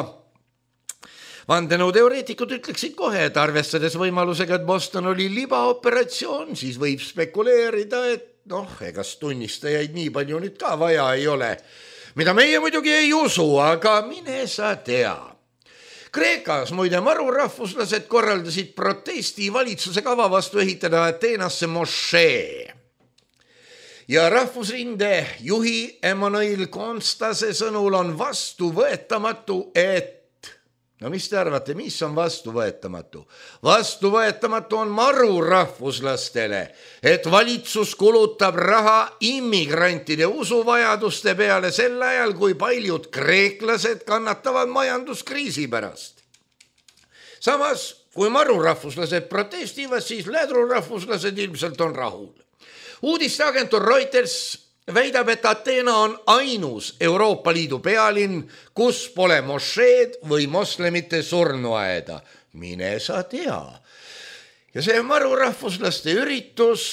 Vandenõuteoreetikud ütleksid kohe, et arvestades võimalusega, et Boston oli libaoperatsioon, siis võib spekuleerida, et noh, egas tunnistajaid nii palju nüüd ka vaja ei ole. Mida meie muidugi ei usu, aga mine sa tea. Kreekas muide marurahvuslased korraldasid protesti valitsuse kava vastu ehitada Ateenasse mošee. Ja rahvusrinde juhi Emmanuel Constase sõnul on vastuvõetamatu, et no mis te arvate, mis on vastuvõetamatu? Vastuvõetamatu on marurahvuslastele, et valitsus kulutab raha immigrantide usuvajaduste peale sel ajal, kui paljud kreeklased kannatavad majanduskriisi pärast. Samas, kui marurahvuslased protestivad, siis lädrurahvuslased ilmselt on rahul. Uudisteagentuur Reuters väidab, et Ateena on ainus Euroopa Liidu pealinn, kus pole mošeed või moslemite surnuaeda. Mine sa tea. Ja see marurahvuslaste üritus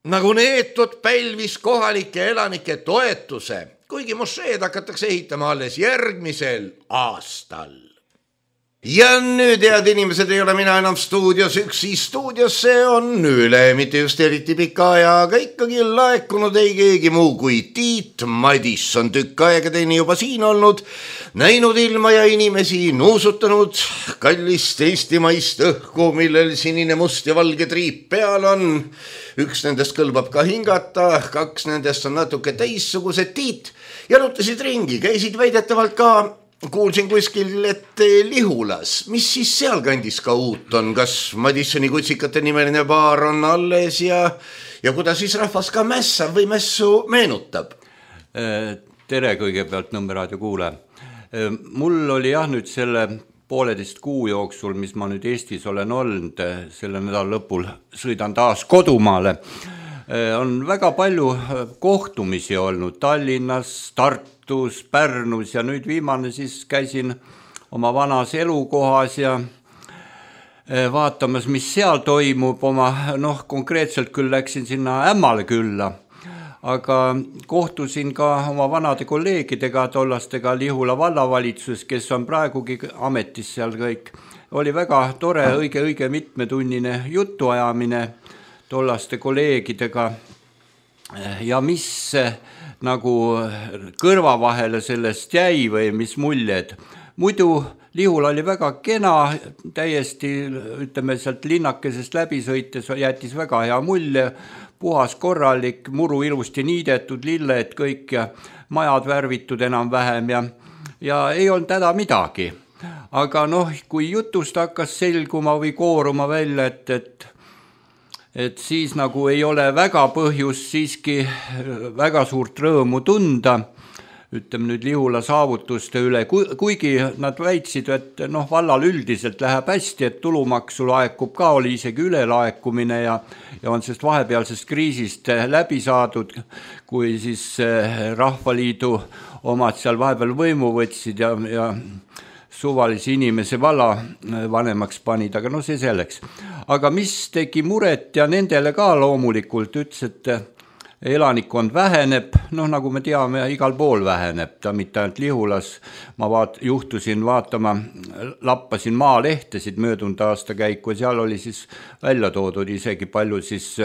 nagu neetud pälvis kohalike elanike toetuse, kuigi mošeed hakatakse ehitama alles järgmisel aastal. Ja nüüd, head inimesed, ei ole mina enam stuudios üksi. Stuudiosse on üle, mitte just eriti pika aja, aga ikkagi laekunud ei keegi muu kui Tiit Madisson. Tükk aega teine juba siin olnud, näinud ilma ja inimesi, nuusutanud kallist eestimaist õhku, millel sinine, must ja valge triip peal on. Üks nendest kõlbab ka hingata, kaks nendest on natuke teissugused. Tiit, jalutasid ringi, käisid väidetavalt ka kuulsin kuskil, et Lihulas, mis siis seal kandis ka uut on, kas Madissoni kutsikate nimeline baar on alles ja, ja kuidas siis rahvas ka mässab või mässu meenutab? Tere kõigepealt Nõmmeraadio kuule. Mul oli jah nüüd selle pooleteist kuu jooksul, mis ma nüüd Eestis olen olnud, selle nädala lõpul sõidan taas kodumaale. on väga palju kohtumisi olnud Tallinnas, Tartus, Pärnus ja nüüd viimane siis käisin oma vanas elukohas ja vaatamas, mis seal toimub oma, noh konkreetselt küll läksin sinna Ämmale külla, aga kohtusin ka oma vanade kolleegidega, tollastega Lihula vallavalitsus, kes on praegugi ametis seal kõik. Oli väga tore, õige, õige mitmetunnine jutuajamine tollaste kolleegidega ja mis nagu kõrva vahele sellest jäi või mis muljed. Muidu Lihula oli väga kena, täiesti ütleme sealt linnakesest läbi sõites jättis väga hea mulje, puhas korralik, muru ilusti niidetud, lilled kõik ja majad värvitud enam vähem ja, ja ei olnud häda midagi. Aga noh, kui jutust hakkas selguma või kooruma välja, et, et, et siis nagu ei ole väga põhjus siiski väga suurt rõõmu tunda, ütleme nüüd Lihula saavutuste üle, kuigi nad väitsid, et noh, vallal üldiselt läheb hästi, et tulumaksu laekub ka, oli isegi ülelaekumine ja, ja on sellest vahepealsest kriisist läbi saadud, kui siis Rahvaliidu omad seal vahepeal võimu võtsid ja, ja suvalisi inimese valla vanemaks panid, aga no see selleks. Aga mis tegi muret ja nendele ka loomulikult ütles, et elanikkond väheneb, noh nagu me teame, igal pool väheneb, ta mitte ainult Lihulas, ma vaat, juhtusin vaatama, lappasin maalehtesid möödunud aasta käiku ja seal oli siis välja toodud isegi palju siis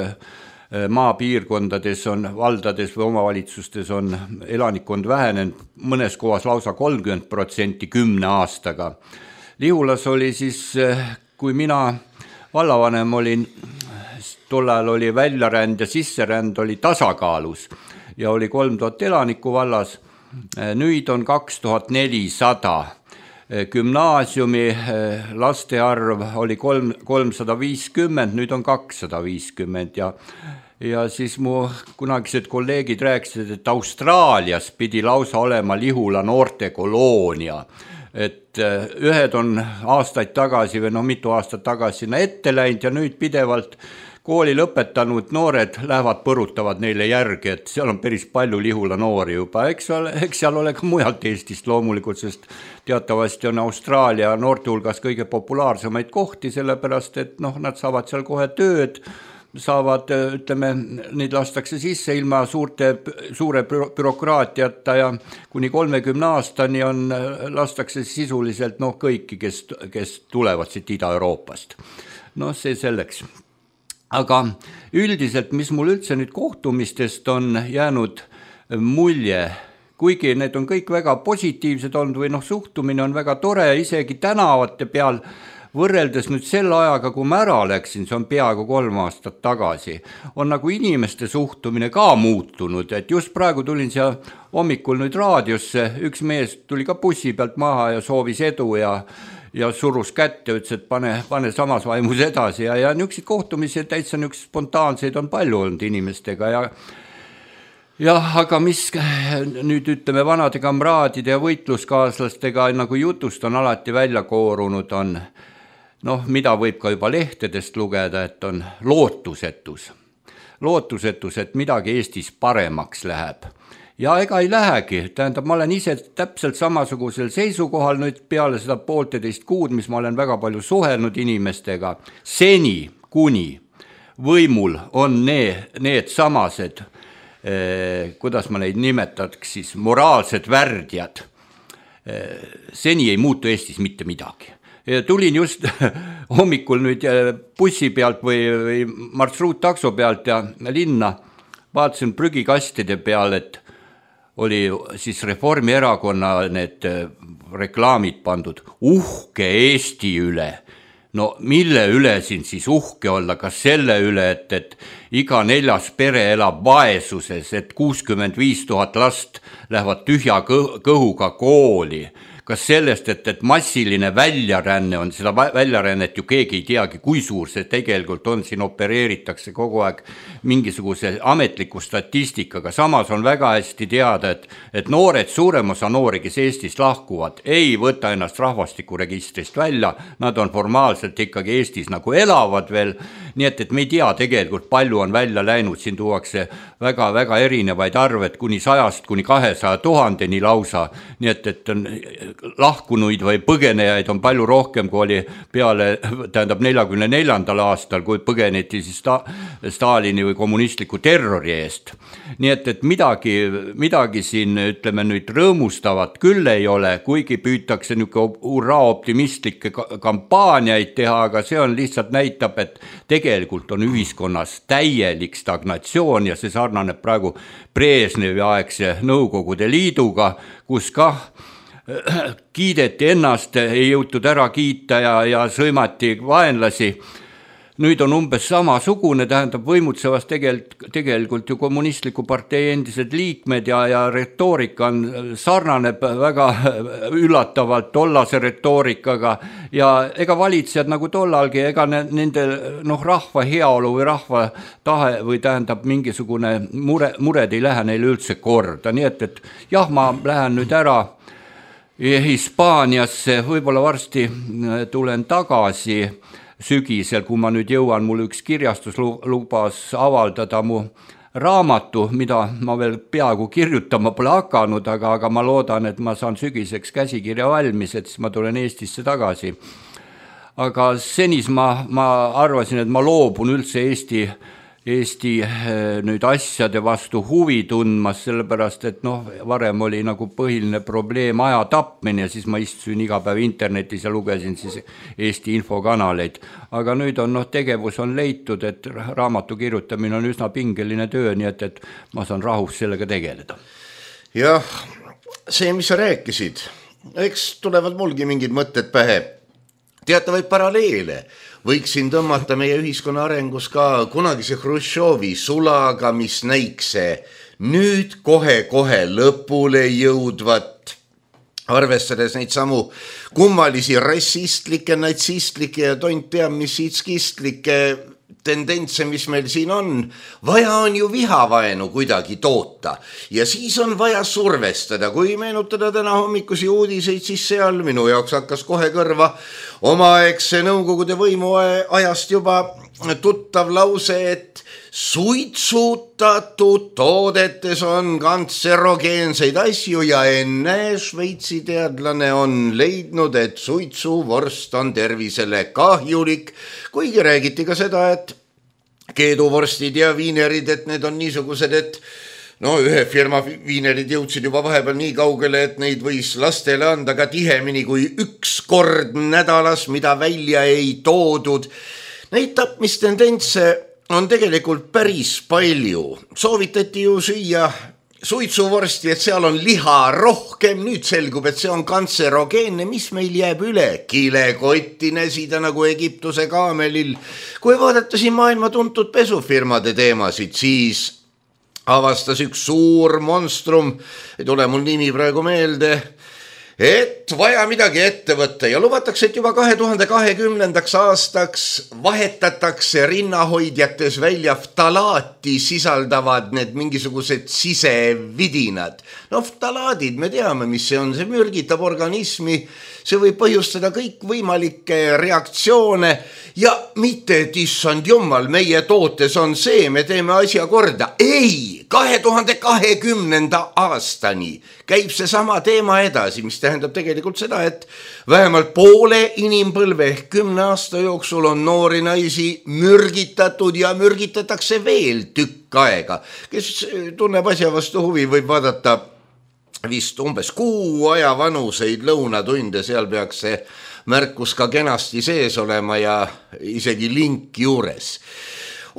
maapiirkondades on, valdades või omavalitsustes on elanikkond vähenenud, mõnes kohas lausa kolmkümmend protsenti kümne aastaga. Lihulas oli siis, kui mina vallavanem olin, tol ajal oli väljaränd ja sisseränd oli tasakaalus ja oli kolm tuhat elanikku vallas. Nüüd on kaks tuhat nelisada. Gümnaasiumi laste arv oli kolmsada viiskümmend, nüüd on kakssada viiskümmend ja, ja siis mu kunagised kolleegid rääkisid, et Austraalias pidi lausa olema Lihula noortekoloonia. Et ühed on aastaid tagasi või no mitu aastat tagasi sinna ette läinud ja nüüd pidevalt kooli lõpetanud noored lähevad põrutavad neile järgi, et seal on päris palju Lihula noori juba. Eks, eks seal ole ka mujalt Eestist loomulikult, sest teatavasti on Austraalia noorte hulgas kõige populaarsemaid kohti, sellepärast et noh, nad saavad seal kohe tööd, saavad, ütleme, neid lastakse sisse ilma suurte, suure bürokraatiata ja kuni kolmekümne aastani on, lastakse sisuliselt noh, kõiki, kes, kes tulevad siit Ida-Euroopast. No see selleks. Aga üldiselt, mis mul üldse nüüd kohtumistest on jäänud mulje, kuigi need on kõik väga positiivsed olnud või noh, suhtumine on väga tore, isegi tänavate peal võrreldes nüüd selle ajaga, kui ma ära läksin, see on peaaegu kolm aastat tagasi, on nagu inimeste suhtumine ka muutunud, et just praegu tulin siia hommikul nüüd raadiosse, üks mees tuli ka bussi pealt maha ja soovis edu ja ja surus kätte, ütles, et pane, pane samas vaimus edasi ja, ja niisugused kohtumised täitsa niisugused spontaanseid on palju olnud inimestega ja jah, aga mis nüüd ütleme vanade kamraadide ja võitluskaaslastega nagu jutust on alati välja koorunud on, noh, mida võib ka juba lehtedest lugeda, et on lootusetus. Lootusetus, et midagi Eestis paremaks läheb. Ja ega ei lähegi, tähendab, ma olen ise täpselt samasugusel seisukohal nüüd peale seda poolteist kuud, mis ma olen väga palju suhelnud inimestega. Seni, kuni võimul on need, need samased, eh, kuidas ma neid nimetaks siis, moraalsed värdjad, eh, seni ei muutu Eestis mitte midagi. Ja tulin just hommikul nüüd bussi pealt või, või marsruuttakso pealt ja linna, vaatasin prügikastide peal, et oli siis Reformierakonna need reklaamid pandud uhke Eesti üle. No mille üle siin siis uhke olla, kas selle üle, et, et iga neljas pere elab vaesuses, et kuuskümmend viis tuhat last lähevad tühja kõhuga kooli. kas sellest, et, et massiline väljaränne on, seda väljarännet ju keegi ei teagi, kui suur see tegelikult on, siin opereeritakse kogu aeg mingisuguse ametliku statistikaga, samas on väga hästi teada, et, et noored, suurem osa noori, kes Eestist lahkuvad, ei võta ennast rahvastikuregistrist välja, nad on formaalselt ikkagi Eestis nagu elavad veel, nii et, et me ei tea tegelikult palju on välja läinud, siin tuuakse väga-väga erinevaid arved kuni sajast kuni kahesaja tuhandeni lausa, nii et, et on lahkunuid või põgenejaid on palju rohkem, kui oli peale, tähendab neljakümne neljandal aastal, kui põgeneti siis sta, Stalini või kommunistliku terrori eest. Nii et, et midagi, midagi siin, ütleme nüüd, rõõmustavat küll ei ole, kuigi püütakse niisugune hurraa optimistlikke kampaaniaid teha, aga see on lihtsalt näitab, et tegelikult on ühiskonnas täielik stagnatsioon ja see sarnaneb praegu Brežnevi aegse Nõukogude Liiduga, kus kah kiideti ennast, ei jõutud ära kiita ja, ja sõimati vaenlasi. Nüüd on umbes samasugune, tähendab võimutsevas tegelikult, tegelikult ju kommunistliku partei endised liikmed ja, ja retoorika on, sarnaneb väga üllatavalt tollase retoorikaga ja ega valitsejad nagu tollalgi, ega nende noh, rahva heaolu või rahva tahe või tähendab mingisugune mure, mured ei lähe neile üldse korda, nii et, et jah, ma lähen nüüd ära Hispaaniasse, võib-olla varsti tulen tagasi sügisel, kui ma nüüd jõuan, mul üks kirjastus lubas avaldada mu raamatu, mida ma veel peaaegu kirjutama pole hakanud, aga, aga ma loodan, et ma saan sügiseks käsikirja valmis, et siis ma tulen Eestisse tagasi. Aga senis ma, ma arvasin, et ma loobun üldse Eesti Eesti nüüd asjade vastu huvi tundmas, sellepärast, et noh, varem oli nagu põhiline probleem aja tapmine ja siis ma istusin iga päev internetis ja lugesin siis Eesti infokanaleid. Aga nüüd on noh, tegevus on leitud, et raamatu kirjutamine on üsna pingeline töö, nii et, et ma saan rahus sellega tegeleda. Jah, see, mis sa rääkisid, eks tulevad mulgi mingid mõtted pähe. Teatavaid paralleele võiksin tõmmata meie ühiskonna arengus ka kunagise Hruštšovi sulaga, mis näikse nüüd kohe-kohe lõpule jõudvat, arvestades neid samu kummalisi rassistlikke, natsistlikke ja tont teab, mis itskistlikke tendentse, mis meil siin on, vaja on ju vihavaenu kuidagi toota ja siis on vaja survestada. Kui meenutada täna hommikusi uudiseid, siis seal minu jaoks hakkas kohe kõrva omaegse Nõukogude võimu ajast juba tuttav lause, et suitsutatud toodetes on kantserogeenseid asju ja enne Šveitsi teadlane on leidnud, et suitsuvorst on tervisele kahjulik, kuigi räägiti ka seda, et keeduvorstid ja viinerid, et need on niisugused, et no ühe firma viinerid jõudsid juba vahepeal nii kaugele, et neid võis lastele anda ka tihemini kui üks kord nädalas, mida välja ei toodud. Neid tapmistendentse on tegelikult päris palju. Soovitati ju süüa suitsuvorsti, et seal on liha rohkem, nüüd selgub, et see on kantserogeenne, mis meil jääb üle. Kilekotti näsida nagu Egiptuse kaamelil. Kui vaadata siin maailma tuntud pesufirmade teemasid, siis avastas üks suur monstrum, ei tule mul nimi praegu meelde, et vaja midagi ette võtta ja lubatakse, et juba kahe tuhande kahekümnendaks aastaks vahetatakse rinnahoidjates välja ftalaati sisaldavad need mingisugused sisevidinad. No ftalaadid, me teame, mis see on, see mürgitab organismi, see võib põhjustada kõik võimalikke reaktsioone ja mitte, et issand jumal, meie tootes on see, me teeme asja korda. Ei, kahe tuhande kahekümnenda aastani käib see sama teema edasi, mis tähendab tegelikult seda, et vähemalt poole inimpõlve ehk kümne aasta jooksul on noori naisi mürgitatud ja mürgitatakse veel tükk aega. Kes tunneb asja vastu huvi, võib vaadata vist umbes kuu aja vanuseid lõunatunde, seal peaks see märkus ka kenasti sees olema ja isegi link juures.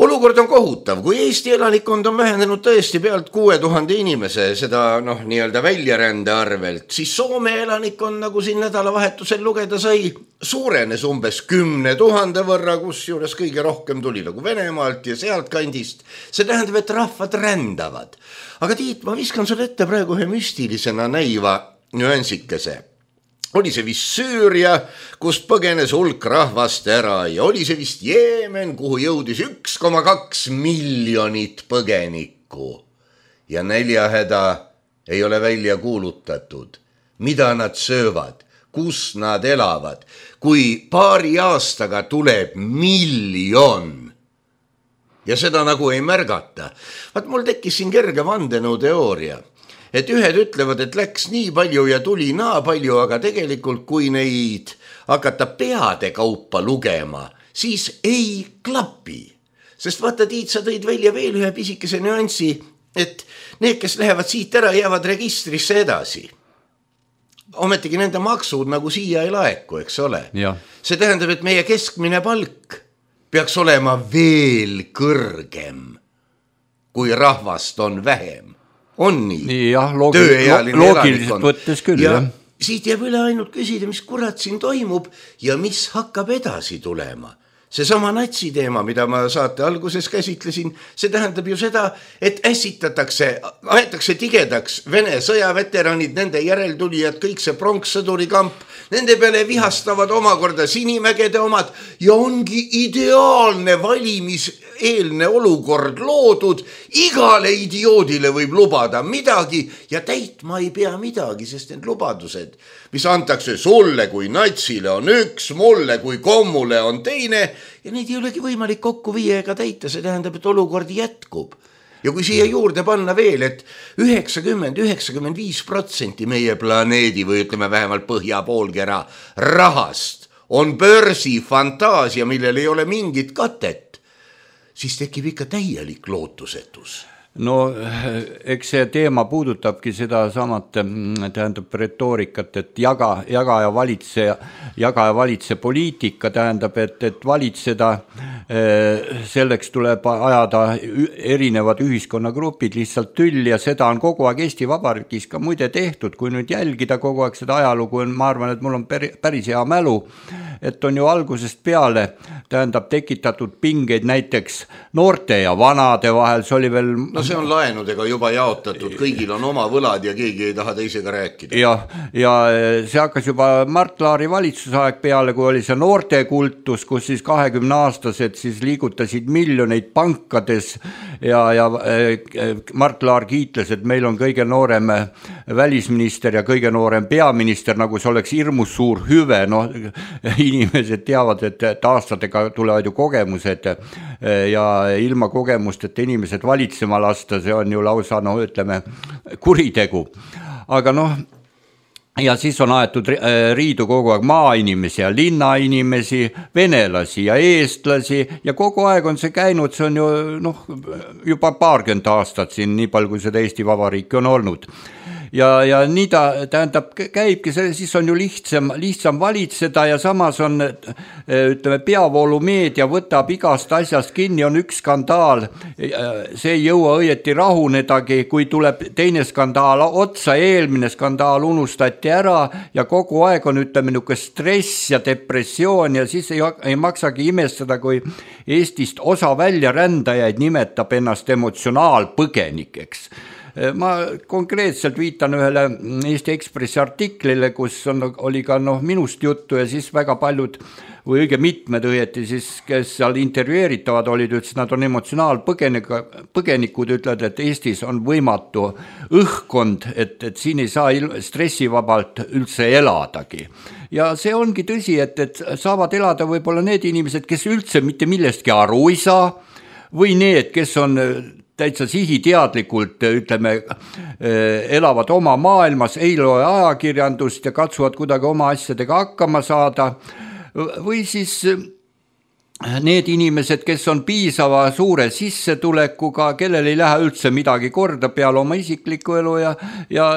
Olukord on kohutav, kui Eesti elanikkond on vähenenud tõesti pealt kuue tuhande inimese, seda noh, nii-öelda väljarände arvelt, siis Soome elanikkond, nagu siin nädalavahetusel lugeda sai, suurenes umbes kümne tuhande võrra, kus juures kõige rohkem tuli nagu Venemaalt ja sealt kandist. See tähendab, et rahvad rändavad. Aga Tiit, ma viskan sulle ette praegu ühe müstilisena näiva nüansikese. oli see vist Süüria, kus põgenes hulk rahvast ära ja oli see vist Jeemen, kuhu jõudis üks koma kaks miljonit põgenikku ja näljahäda ei ole välja kuulutatud. Mida nad söövad, kus nad elavad, kui paari aastaga tuleb miljon ja seda nagu ei märgata. Vaat mul tekkis siin kerge vandenõuteooria, et ühed ütlevad, et läks nii palju ja tuli naa palju, aga tegelikult kui neid hakata peade kaupa lugema, siis ei klapi. Sest vaata, Tiit, sa tõid välja veel ühe pisikese nüansi, et need, kes lähevad siit ära, jäävad registrisse edasi. Ometigi nende maksud nagu siia ei laeku, eks ole. Ja. See tähendab, et meie keskmine palk peaks olema veel kõrgem, kui rahvast on vähem. On nii? Nii jah, loogi- loogiliselt võttes küll. Ja jah. siit jääb üle ainult küsida, mis kurat siin toimub ja mis hakkab edasi tulema. Seesama natsi teema, mida ma saate alguses käsitlesin, see tähendab ju seda, et ässitatakse, aetakse tigedaks Vene sõjaveteranid, nende järeltulijad, kõik see pronkssõduri kamp, nende peale vihastavad omakorda Sinimägede omad ja ongi ideaalne valimiseelne olukord loodud. Igale idioodile võib lubada midagi ja täitma ei pea midagi, sest need lubadused, mis antakse sulle kui natsile on üks, mulle kui kommule on teine ja neid ei olegi võimalik kokku viia ega täita, see tähendab, et olukord jätkub. Ja kui siia juurde panna veel, et üheksakümmend üheksakümmend viis protsenti meie planeedi või ütleme vähemalt põhja poolkera rahast on börsi fantaasia, millel ei ole mingit katet, siis tekib ikka täielik lootusetus. No eks see teema puudutabki seda samat, tähendab retoorikat, et jaga, jaga ja valitse, jaga ja valitse poliitika, tähendab, et, et valitseda, selleks tuleb ajada erinevad ühiskonnagrupid lihtsalt tülli ja seda on kogu aeg Eesti Vabariigis ka muide tehtud, kui nüüd jälgida kogu aeg seda ajalugu, ma arvan, et mul on päris hea mälu, et on ju algusest peale, tähendab tekitatud pingeid näiteks noorte ja vanade vahel, see oli veel... No see on laenudega juba jaotatud, kõigil on oma võlad ja keegi ei taha teisega rääkida. Ja, ja see hakkas juba Mart Laari valitsusaeg peale, kui oli see noortekultus, kus siis kahekümne aastased siis liigutasid miljoneid pankades ja, ja Mart Laar kiitles, et meil on kõige noorem välisminister ja kõige noorem peaminister, nagu see oleks hirmus suur hüve. No, inimesed teavad, et aastatega tulevad ju kogemused ja ilma kogemust, et inimesed valitsema lasta, see on ju lausa, no ütleme, kuritegu. Aga noh, ja siis on aetud riidu kogu aeg maainimesi ja linnainimesi, venelasi ja eestlasi ja kogu aeg on see käinud, see on ju noh, juba paarkümmend aastat siin, nii palju kui seda Eesti Vabariiki on olnud. Ja, ja nii ta tähendab käibki, siis on ju lihtsam, lihtsam valitseda ja samas on, ütleme, peavoolumeedia võtab igast asjast kinni, on üks skandaal, see ei jõua õieti rahunedagi, kui tuleb teine skandaal otsa, eelmine skandaal unustati ära ja kogu aeg on, ütleme, niuke stress ja depressioon ja siis ei, ei maksagi imestada, kui Eestist osa väljarändajaid nimetab ennast emotsionaalpõgenikeks. Ma konkreetselt viitan ühele Eesti Ekspressi artiklile, kus on, oli ka noh, minust juttu ja siis väga paljud või õige mitmed õieti siis, kes seal intervjueeritavad olid, ütles, nad on emotsionaalpõgenikud, ütlevad, et Eestis on võimatu õhkkond, et, et siin ei saa stressivabalt üldse eladagi. Ja see ongi tõsi, et, et saavad elada võib-olla need inimesed, kes üldse mitte millestki aru ei saa või need, kes on täitsa sihiteadlikult, ütleme, elavad oma maailmas, ei loe ajakirjandust ja katsuvad kuidagi oma asjadega hakkama saada. Või siis need inimesed, kes on piisava suure sissetulekuga, kellel ei lähe üldse midagi korda peale oma isikliku elu ja, ja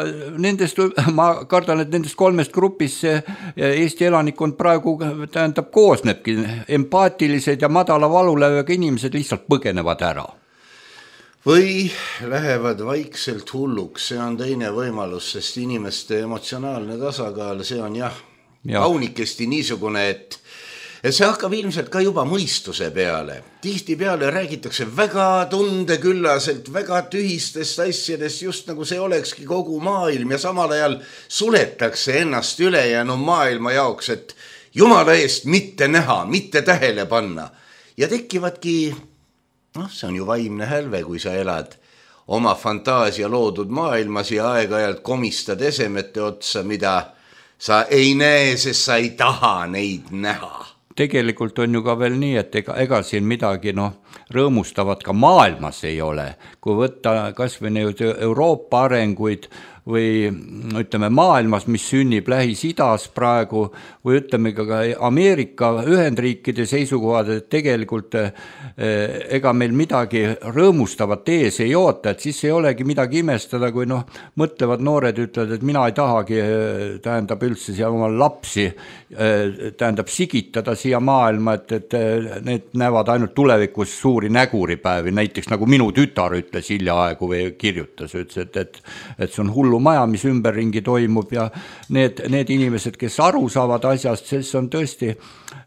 nendest, ma kardan, et nendest kolmest grupist see Eesti elanikkond praegu tähendab koosnebki, empaatilised ja madala valulööga inimesed lihtsalt põgenevad ära. Või lähevad vaikselt hulluks, see on teine võimalus, sest inimeste emotsionaalne tasakaal, see on jah, ja. kaunikesti niisugune, et, see hakkab ilmselt ka juba mõistuse peale. Tihti peale räägitakse väga tundeküllaselt, väga tühistest asjadest, just nagu see olekski kogu maailm ja samal ajal suletakse ennast ülejäänu maailma jaoks, et jumala eest mitte näha, mitte tähele panna. Ja tekivadki, noh, see on ju vaimne hälve, kui sa elad oma fantaasia loodud maailmas ja aeg-ajalt komistad esemete otsa, mida sa ei näe, sest sa ei taha neid näha. Tegelikult on ju ka veel nii, et ega, ega siin midagi noh, rõõmustavat ka maailmas ei ole. Kui võtta kas või Euroopa arenguid või ütleme maailmas, mis sünnib Lähis-Idas praegu või ütleme ka Ameerika Ühendriikide seisukohad, et tegelikult ega meil midagi rõõmustavat ees ei oota, et siis ei olegi midagi imestada, kui noh, mõtlevad noored ütlevad, et mina ei tahagi, tähendab üldse siia oma lapsi, tähendab sigitada siia maailma, et, et need näevad ainult tulevikus suuri näguripäevi, näiteks nagu minu tütar ütles hiljaaegu või kirjutas, ütles, et, et, et see on hullu maja, mis ümberringi toimub ja need, need inimesed, kes aru saavad asjast, siis on tõesti,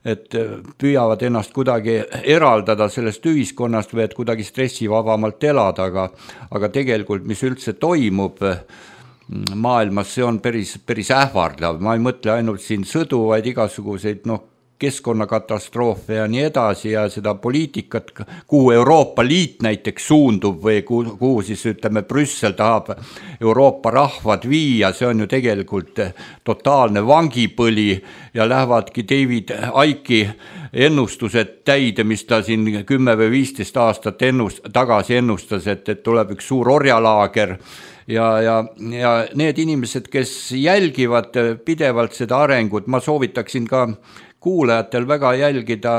et püüavad ennast kuidagi eraldada sellest ühiskonnast või et kuidagi stressivabamalt elada, aga, aga tegelikult, mis üldse toimub maailmas, see on päris, päris ähvardav. Ma ei mõtle ainult siin sõdu, vaid igasuguseid noh, keskkonnakatastroofe ja nii edasi ja seda poliitikat, kuhu Euroopa Liit näiteks suundub või kuhu, kuhu siis ütleme Brüssel tahab Euroopa rahvad viia, see on ju tegelikult totaalne vangipõli ja lähevadki David Icke'i ennustused täide, mis ta siin kümme või viisteist aastat ennust, tagasi ennustas, et, et tuleb üks suur orjalaager ja, ja, ja need inimesed, kes jälgivad pidevalt seda arengut, ma soovitaksin ka kuulajatel väga jälgida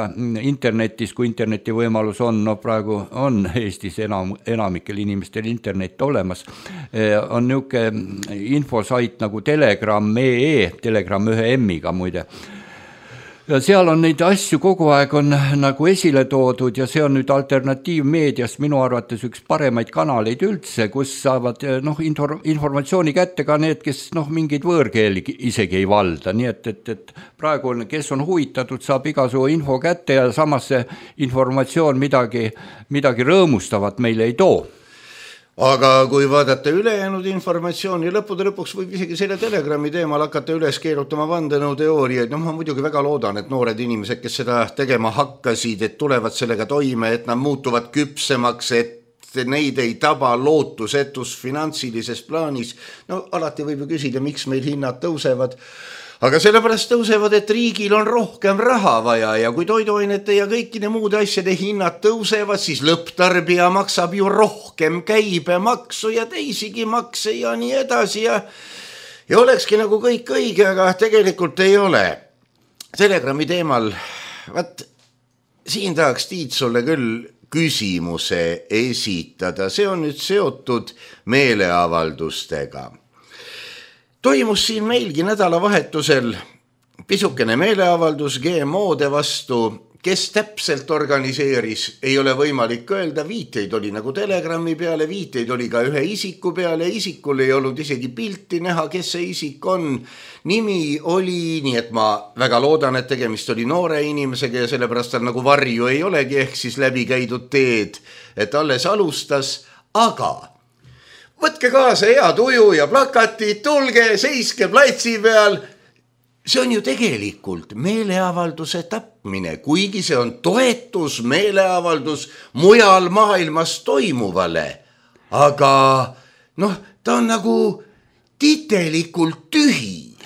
internetis, kui interneti võimalus on, no praegu on Eestis enam, enamikel inimestel internet olemas, on niisugune infosait nagu Telegram punkt ee, Telegram ühe M-iga muide. Ja seal on neid asju kogu aeg on nagu esile toodud ja see on nüüd alternatiivmeedias minu arvates üks paremaid kanaleid üldse, kus saavad noh, informatsiooni kätte ka need, kes noh, mingeid võõrkeeli isegi ei valda. Nii et, et, et praegu on, kes on huvitatud, saab igasugu info kätte ja samas see informatsioon midagi, midagi rõõmustavat meile ei too. Aga kui vaadata ülejäänud informatsiooni, lõppude lõpuks võib isegi selle Telegrami teemal hakata üles keerutama vandenõuteooriaid. No ma muidugi väga loodan, et noored inimesed, kes seda tegema hakkasid, et tulevad sellega toime, et nad muutuvad küpsemaks, et neid ei taba lootusetus finantsilises plaanis. No alati võib ju küsida, miks meil hinnad tõusevad. Aga sellepärast tõusevad, et riigil on rohkem raha vaja ja kui toiduainete ja kõikide muude asjade hinnad tõusevad, siis lõpptarbija maksab ju rohkem käibemaksu ja teisigi makse ja nii edasi ja, ja olekski nagu kõik õige, aga tegelikult ei ole. Telegrami teemal, vaat siin tahaks Tiit sulle küll küsimuse esitada, see on nüüd seotud meeleavaldustega. Toimus siin meilgi nädalavahetusel pisukene meeleavaldus G M O-de vastu, kes täpselt organiseeris, ei ole võimalik öelda, viiteid oli nagu Telegrami peale, viiteid oli ka ühe isiku peale, isikul ei olnud isegi pilti näha, kes see isik on. Nimi oli, nii et ma väga loodan, et tegemist oli noore inimesega ja sellepärast tal nagu varju ei olegi, ehk siis läbi käidud teed, et alles alustas, aga võtke kaasa hea tuju ja plakatid, tulge, seiske platsi peal. See on ju tegelikult meeleavalduse tapmine, kuigi see on toetus meeleavaldus mujal maailmas toimuvale. Aga noh, ta on nagu titelikult tühi.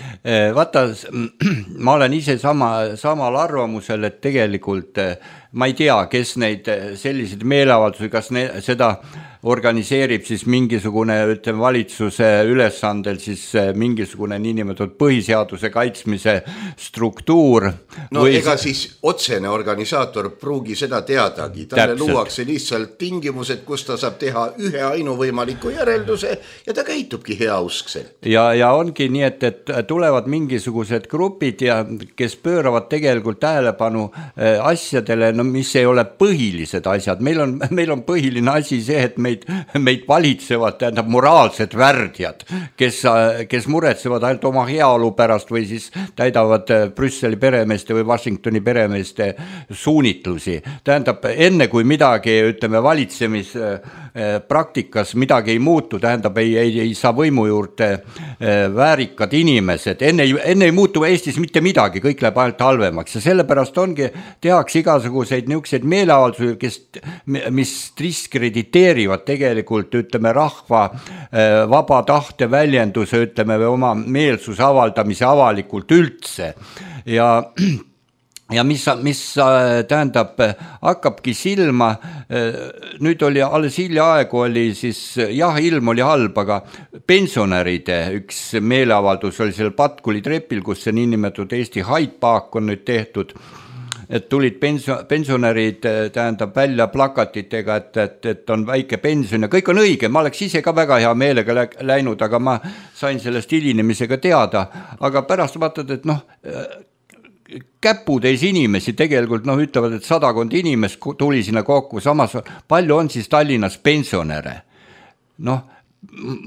Vaata, ma olen ise sama, samal arvamusel, et tegelikult ma ei tea, kes neid selliseid meeleavaldusi, kas ne, seda organiseerib siis mingisugune ütleme, valitsuse ülesandel siis mingisugune niinimetatud põhiseaduse kaitsmise struktuur. No või... ega siis otsene organisaator pruugi seda teadagi. Talle Täpselt. Luuakse lihtsalt tingimused, kus ta saab teha ühe ainuvõimaliku järelduse ja ta käitubki heauskselt. Ja, ja ongi nii, et, et tulevad mingisugused grupid, ja, kes pööravad tegelikult tähelepanu asjadele, no, mis ei ole põhilised asjad. Meil on, meil on põhiline asi see, et me meid, meid valitsevad, tähendab moraalsed värdjad, kes, kes muretsevad ainult oma heaolu pärast või siis täidavad Brüsseli peremeeste või Washingtoni peremeeste suunitlusi. Tähendab, enne kui midagi, ütleme, valitsemispraktikas midagi ei muutu, tähendab, ei, ei, ei saa võimu juurde väärikad inimesed, enne, enne ei muutu Eestis mitte midagi, kõik läheb ainult halvemaks ja sellepärast ongi, tehakse igasuguseid niisuguseid meeleavaldusi, kes, mis diskrediteerivad tegelikult, ütleme, rahva vaba tahte väljenduse, ütleme, või oma meelsuse avaldamise avalikult üldse ja ja mis, mis tähendab, hakkabki silma, nüüd oli alles hiljaaegu oli siis, jah, ilm oli halb, aga pensionäride üks meeleavaldus oli seal Patkuli trepil, kus see niinimetatud Eesti Hyde Park on nüüd tehtud, et tulid pensionärid, tähendab, välja plakatitega, et, et, et on väike pension ja kõik on õige, ma oleks ise ka väga hea meelega läinud, aga ma sain sellest hilinemisega teada, aga pärast vaatad, et noh, käputäis inimesi tegelikult, noh, ütlevad, et sadakond inimest tuli sinna kokku, samas palju on siis Tallinnas pensionäre. Noh,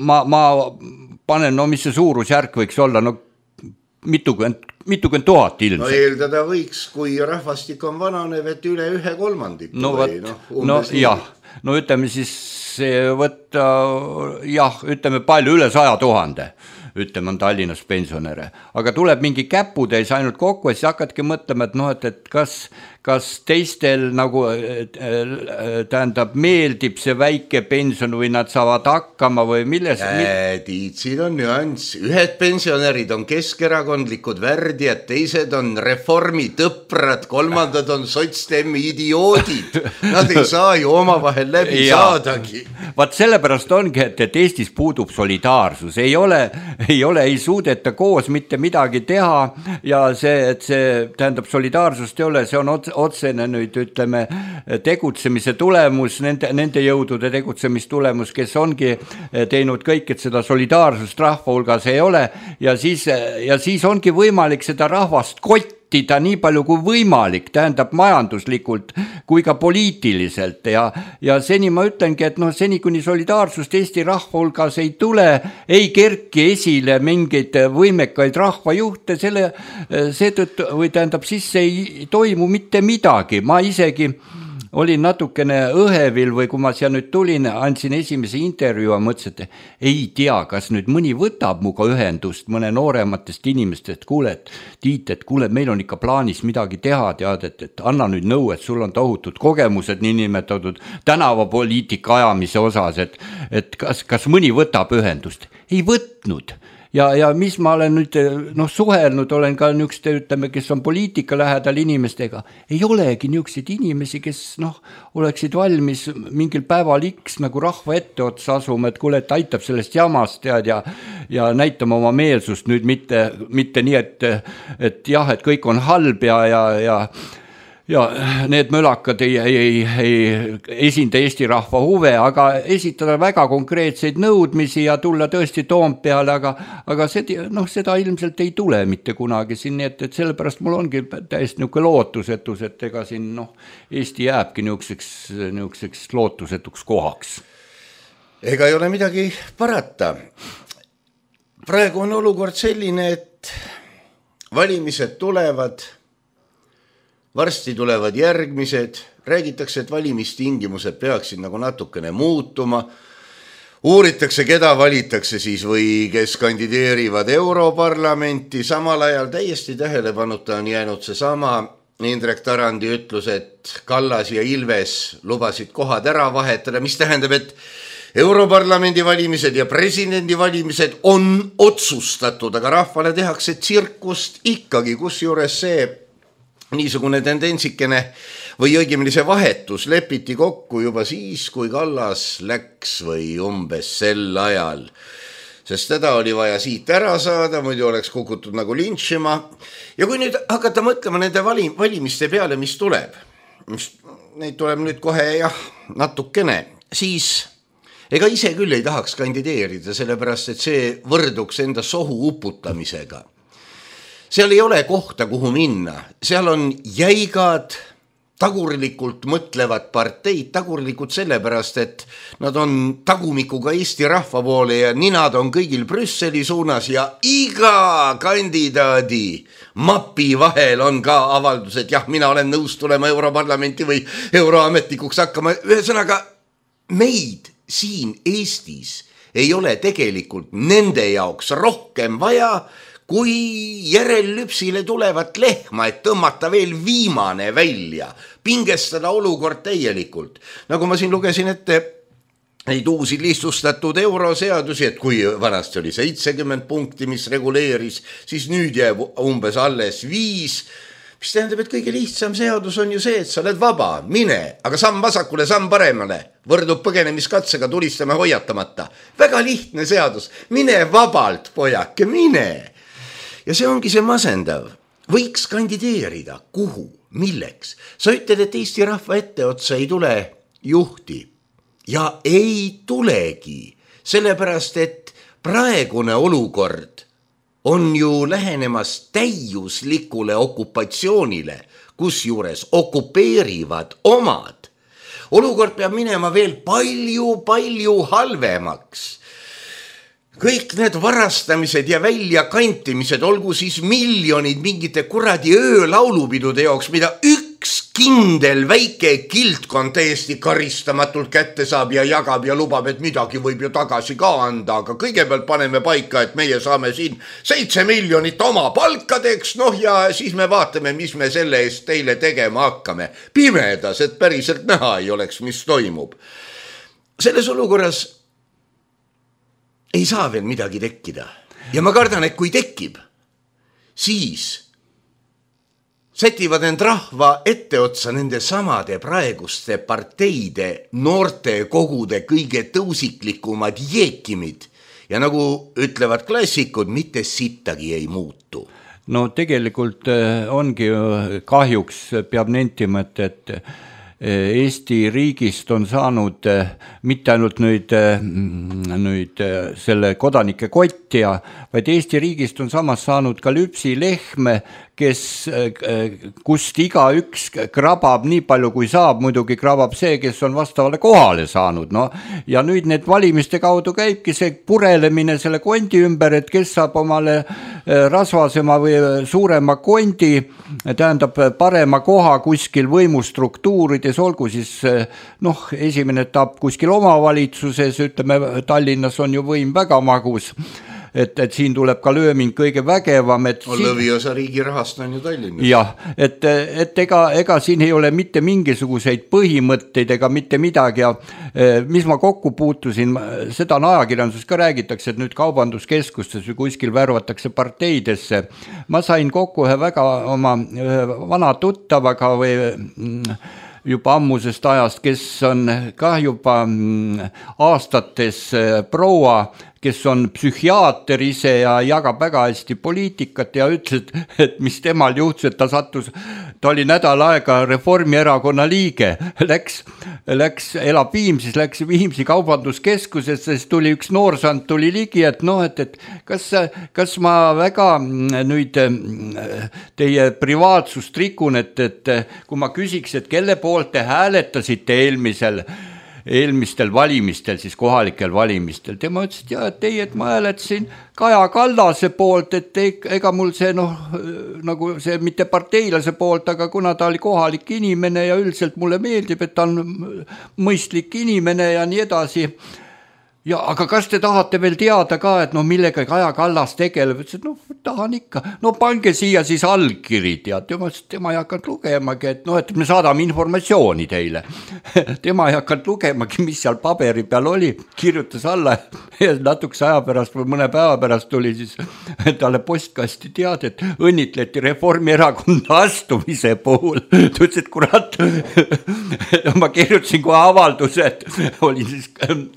ma, ma panen, no mis see suurusjärk võiks olla, no mitukümmend, mitukümmend tuhat ilmselt. No eeldada võiks, kui rahvastik on vananev, et üle ühe kolmandiku. No, või, no, no jah, no ütleme siis võtta, jah, ütleme palju üle saja tuhande. Ütleme, on Tallinnas pensionäre. Aga tuleb mingi käputäis ainult kokku ja siis hakkadki mõtlema, et noh, et, et kas, kas teistel nagu tähendab meeldib see väike pension või nad saavad hakkama või milles? Äh, tiid, siin on nüanss. Ühed pensionärid on keskerakondlikud värdjad, teised on reformi tõprad, kolmandad on sotsdemmi idioodid. Nad ei saa ju omavahel läbi ja saadagi. Vaat sellepärast ongi, et, et Eestis puudub solidaarsus. Ei ole, ei ole, ei suudeta koos mitte midagi teha ja see, et see tähendab solidaarsust ei ole, see on otsene nüüd, ütleme, tegutsemise tulemus, nende, nende jõudude tegutsemistulemus, kes ongi teinud kõik, et seda solidaarsust rahva hulgas ei ole ja siis, ja siis ongi võimalik seda rahvast kotti ta nii palju kui võimalik, tähendab majanduslikult kui ka poliitiliselt ja, ja seni ma ütlengi, et noh, seni kuni solidaarsust Eesti rahva hulgas ei tule, ei kerki esile mingeid võimekaid rahvajuhte, selle, seetõttu, või tähendab, siis ei toimu mitte midagi, ma isegi olin natukene õhevil või kui ma seal nüüd tulin, andsin esimese intervjuu ja mõtlesin, et ei tea, kas nüüd mõni võtab muga ühendust mõne noorematest inimestest, kuule, et Tiit, et kuule, meil on ikka plaanis midagi teha, tead, et, et anna nüüd nõu, et sul on tohutud kogemused niinimetatud tänavapoliitika ajamise osas, et, et kas, kas mõni võtab ühendust? Ei võtnud. Ja, ja mis ma olen nüüd noh, suhelnud, olen ka niisuguste, ütleme, kes on poliitika lähedal inimestega, ei olegi niisuguseid inimesi, kes noh, oleksid valmis mingil päeval X nagu rahva ette otsa asuma, et kuule, et aitab sellest jamast tead, ja, ja näitama oma meelsust nüüd mitte, mitte nii, et, et jah, et kõik on halb ja, ja, ja ja need mölakad ei, ei, ei, ei esinda Eesti rahva huve, aga esitada väga konkreetseid nõudmisi ja tulla tõesti Toompeale, aga, aga see, noh, seda ilmselt ei tule mitte kunagi siin, nii et, et sellepärast mul ongi täiesti niisugune lootusetus, et ega siin noh, Eesti jääbki niisuguseks, niisuguseks lootusetuks kohaks. Ega ei ole midagi parata. Praegu on olukord selline, et valimised tulevad, varsti tulevad järgmised, räägitakse, et valimistingimused peaksid nagu natukene muutuma, uuritakse, keda valitakse siis või kes kandideerivad Europarlamenti, samal ajal täiesti tähelepanuta on jäänud see sama Indrek Tarandi ütlus, et Kallas ja Ilves lubasid kohad ära vahetada, mis tähendab, et Europarlamendi valimised ja presidendi valimised on otsustatud, aga rahvale tehakse tsirkust ikkagi, kus juures see niisugune tendentsikene või õigemini see vahetus lepiti kokku juba siis, kui Kallas läks või umbes sel ajal. Sest teda oli vaja siit ära saada, muidu oleks kukutud nagu lintšima. Ja kui nüüd hakata mõtlema nende valim- valimiste peale, mis tuleb, mis, neid tuleb nüüd kohe jah, natukene, siis ega ise küll ei tahaks kandideerida, sellepärast et see võrduks enda sohu uputamisega. Seal ei ole kohta, kuhu minna. Seal on jäigad tagurlikult mõtlevad parteid, tagurlikult sellepärast, et nad on tagumikuga Eesti rahva poole ja ninad on kõigil Brüsseli suunas ja iga kandidaadi mapi vahel on ka avaldus, et jah, mina olen nõus tulema Europarlamenti või euroametnikuks hakkama. Ühesõnaga, meid siin Eestis ei ole tegelikult nende jaoks rohkem vaja, kui järellüpsile tulevat lehma, et tõmmata veel viimane välja, pingestada olukord täielikult. Nagu ma siin lugesin ette neid uusi lihtsustatud euroseadusi, et kui vanasti oli seitsekümmend punkti, mis reguleeris, siis nüüd jääb umbes alles viis, mis tähendab, et kõige lihtsam seadus on ju see, et sa oled vaba, mine, aga samm vasakule, samm paremale, võrdub põgenemiskatsega, tulistame hoiatamata. Väga lihtne seadus, mine vabalt, pojake, mine. Ja see ongi see masendav. Võiks kandideerida. Kuhu? Milleks? Sa ütled, et Eesti rahva etteotsa ei tule juhti. Ja ei tulegi. Sellepärast, et praegune olukord on ju lähenemas täiuslikule okupatsioonile, kus juures okupeerivad omad. Olukord peab minema veel palju, palju halvemaks. Kõik need varastamised ja väljakantimised, olgu siis miljonid mingite kuradi öölaulupidude jaoks, mida üks kindel väike kiltkond täiesti karistamatult kätte saab ja jagab ja lubab, et midagi võib ju tagasi ka anda, aga kõigepealt paneme paika, et meie saame siin seitse miljonit oma palkadeks, noh ja siis me vaatame, mis me selle eest teile tegema hakkame. Pimedas, et päriselt näha ei oleks, mis toimub. Selles olukorras ei saa veel midagi tekkida. Ja ma kardan, et kui tekib, siis sätivad end rahva etteotsa nende samade praeguste parteide noorte kogude kõige tõusiklikumad jeekimid. Ja nagu ütlevad klassikud, mitte sittagi ei muutu. No tegelikult ongi kahjuks, peab nentima, et Eesti riigist on saanud mitte ainult nüüd, nüüd selle kodanike kottja, vaid Eesti riigist on samas saanud ka lüpsilehme, kes, kust iga üks krabab nii palju kui saab, muidugi krabab see, kes on vastavale kohale saanud. No, ja nüüd need valimiste kaudu käibki see purelemine selle kondi ümber, et kes saab omale rasvasema või suurema kondi, tähendab parema koha kuskil võimustruktuurides, olgu siis noh, esimene etapp kuskil omavalitsuses, ütleme Tallinnas on ju võim väga magus, et, et siin tuleb ka lööming kõige vägevam. Et on siin... lõviosa riigi rahast on ju Tallinnas. Jah, et, et ega, ega siin ei ole mitte mingisuguseid põhimõtteid ega mitte midagi ja mis ma kokku puutusin, seda on ajakirjanduses ka räägitakse, et nüüd kaubanduskeskustes või kuskil värvatakse parteidesse. Ma sain kokku ühe väga oma vana tuttavaga või juba ammusest ajast, kes on ka juba aastates proua, kes on psühhiaater ise ja jagab väga hästi poliitikat ja ütles, et mis temal juhtus, et ta sattus, ta oli nädal aega Reformierakonna liige, läks, läks, elab Viimsis, läks Viimsi kaubanduskeskusesse, siis tuli üks noorsand, tuli ligi, et noh, et, et kas, kas ma väga nüüd teie privaatsust rikun, et, et kui ma küsiks, et kelle poolt te hääletasite eelmisel eelmistel valimistel, siis kohalikel valimistel. Tema ütles, et jah, et ei, et ma hääletasin Kaja Kallase poolt, et ega mul see, noh, nagu see mitte parteilase poolt, aga kuna ta oli kohalik inimene ja üldiselt mulle meeldib, et ta on mõistlik inimene ja nii edasi. Ja, aga kas te tahate veel teada ka, et no millega Kaja Kallas tegeleb? Ütles, et no tahan ikka. No pange siia siis allkirid ja tema, tema ei hakanud lugemagi, et no, et me saadame informatsiooni teile. Tema ei hakanud lugemagi, mis seal paberi peal oli, kirjutas alla ja natukese aja pärast või mõne päeva pärast tuli siis talle postkasti teada, et õnnitleti Reformierakonna astumise puhul. Ta ütles, et kurat, ma kirjutasin kohe avalduse, et oli siis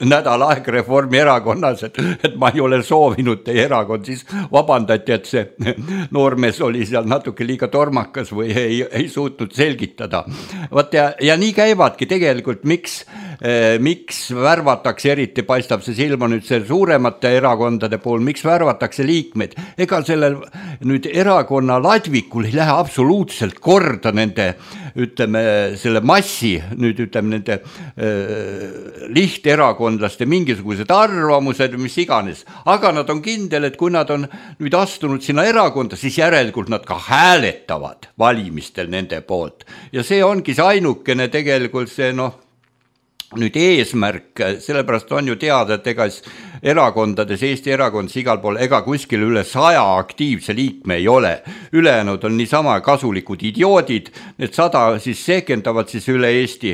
nädal aeg Reformierakonnas, et, et ma ei ole soovinud teie erakond, siis vabandati, et see noormees oli seal natuke liiga tormakas või ei, ei suutnud selgitada. Vaat ja, ja nii käivadki tegelikult, miks, eh, miks värvatakse, eriti paistab see silma nüüd see suuremate erakondade pool, miks värvatakse liikmeid. Ega sellel nüüd erakonna ladvikul ei lähe absoluutselt korda nende ütleme, selle massi, nüüd ütleme nende äh, lihterakondlaste mingisugused arvamused, mis iganes, aga nad on kindel, et kui nad on nüüd astunud sinna erakonda, siis järelikult nad ka hääletavad valimistel nende poolt ja see ongi see ainukene tegelikult see noh, nüüd eesmärk, sellepärast on ju teada, et ega erakondades, Eesti erakondades igal pool, ega kuskil üle saja aktiivse liikme ei ole. Ülejäänud on niisama kasulikud idioodid, need sada siis sekendavad siis üle Eesti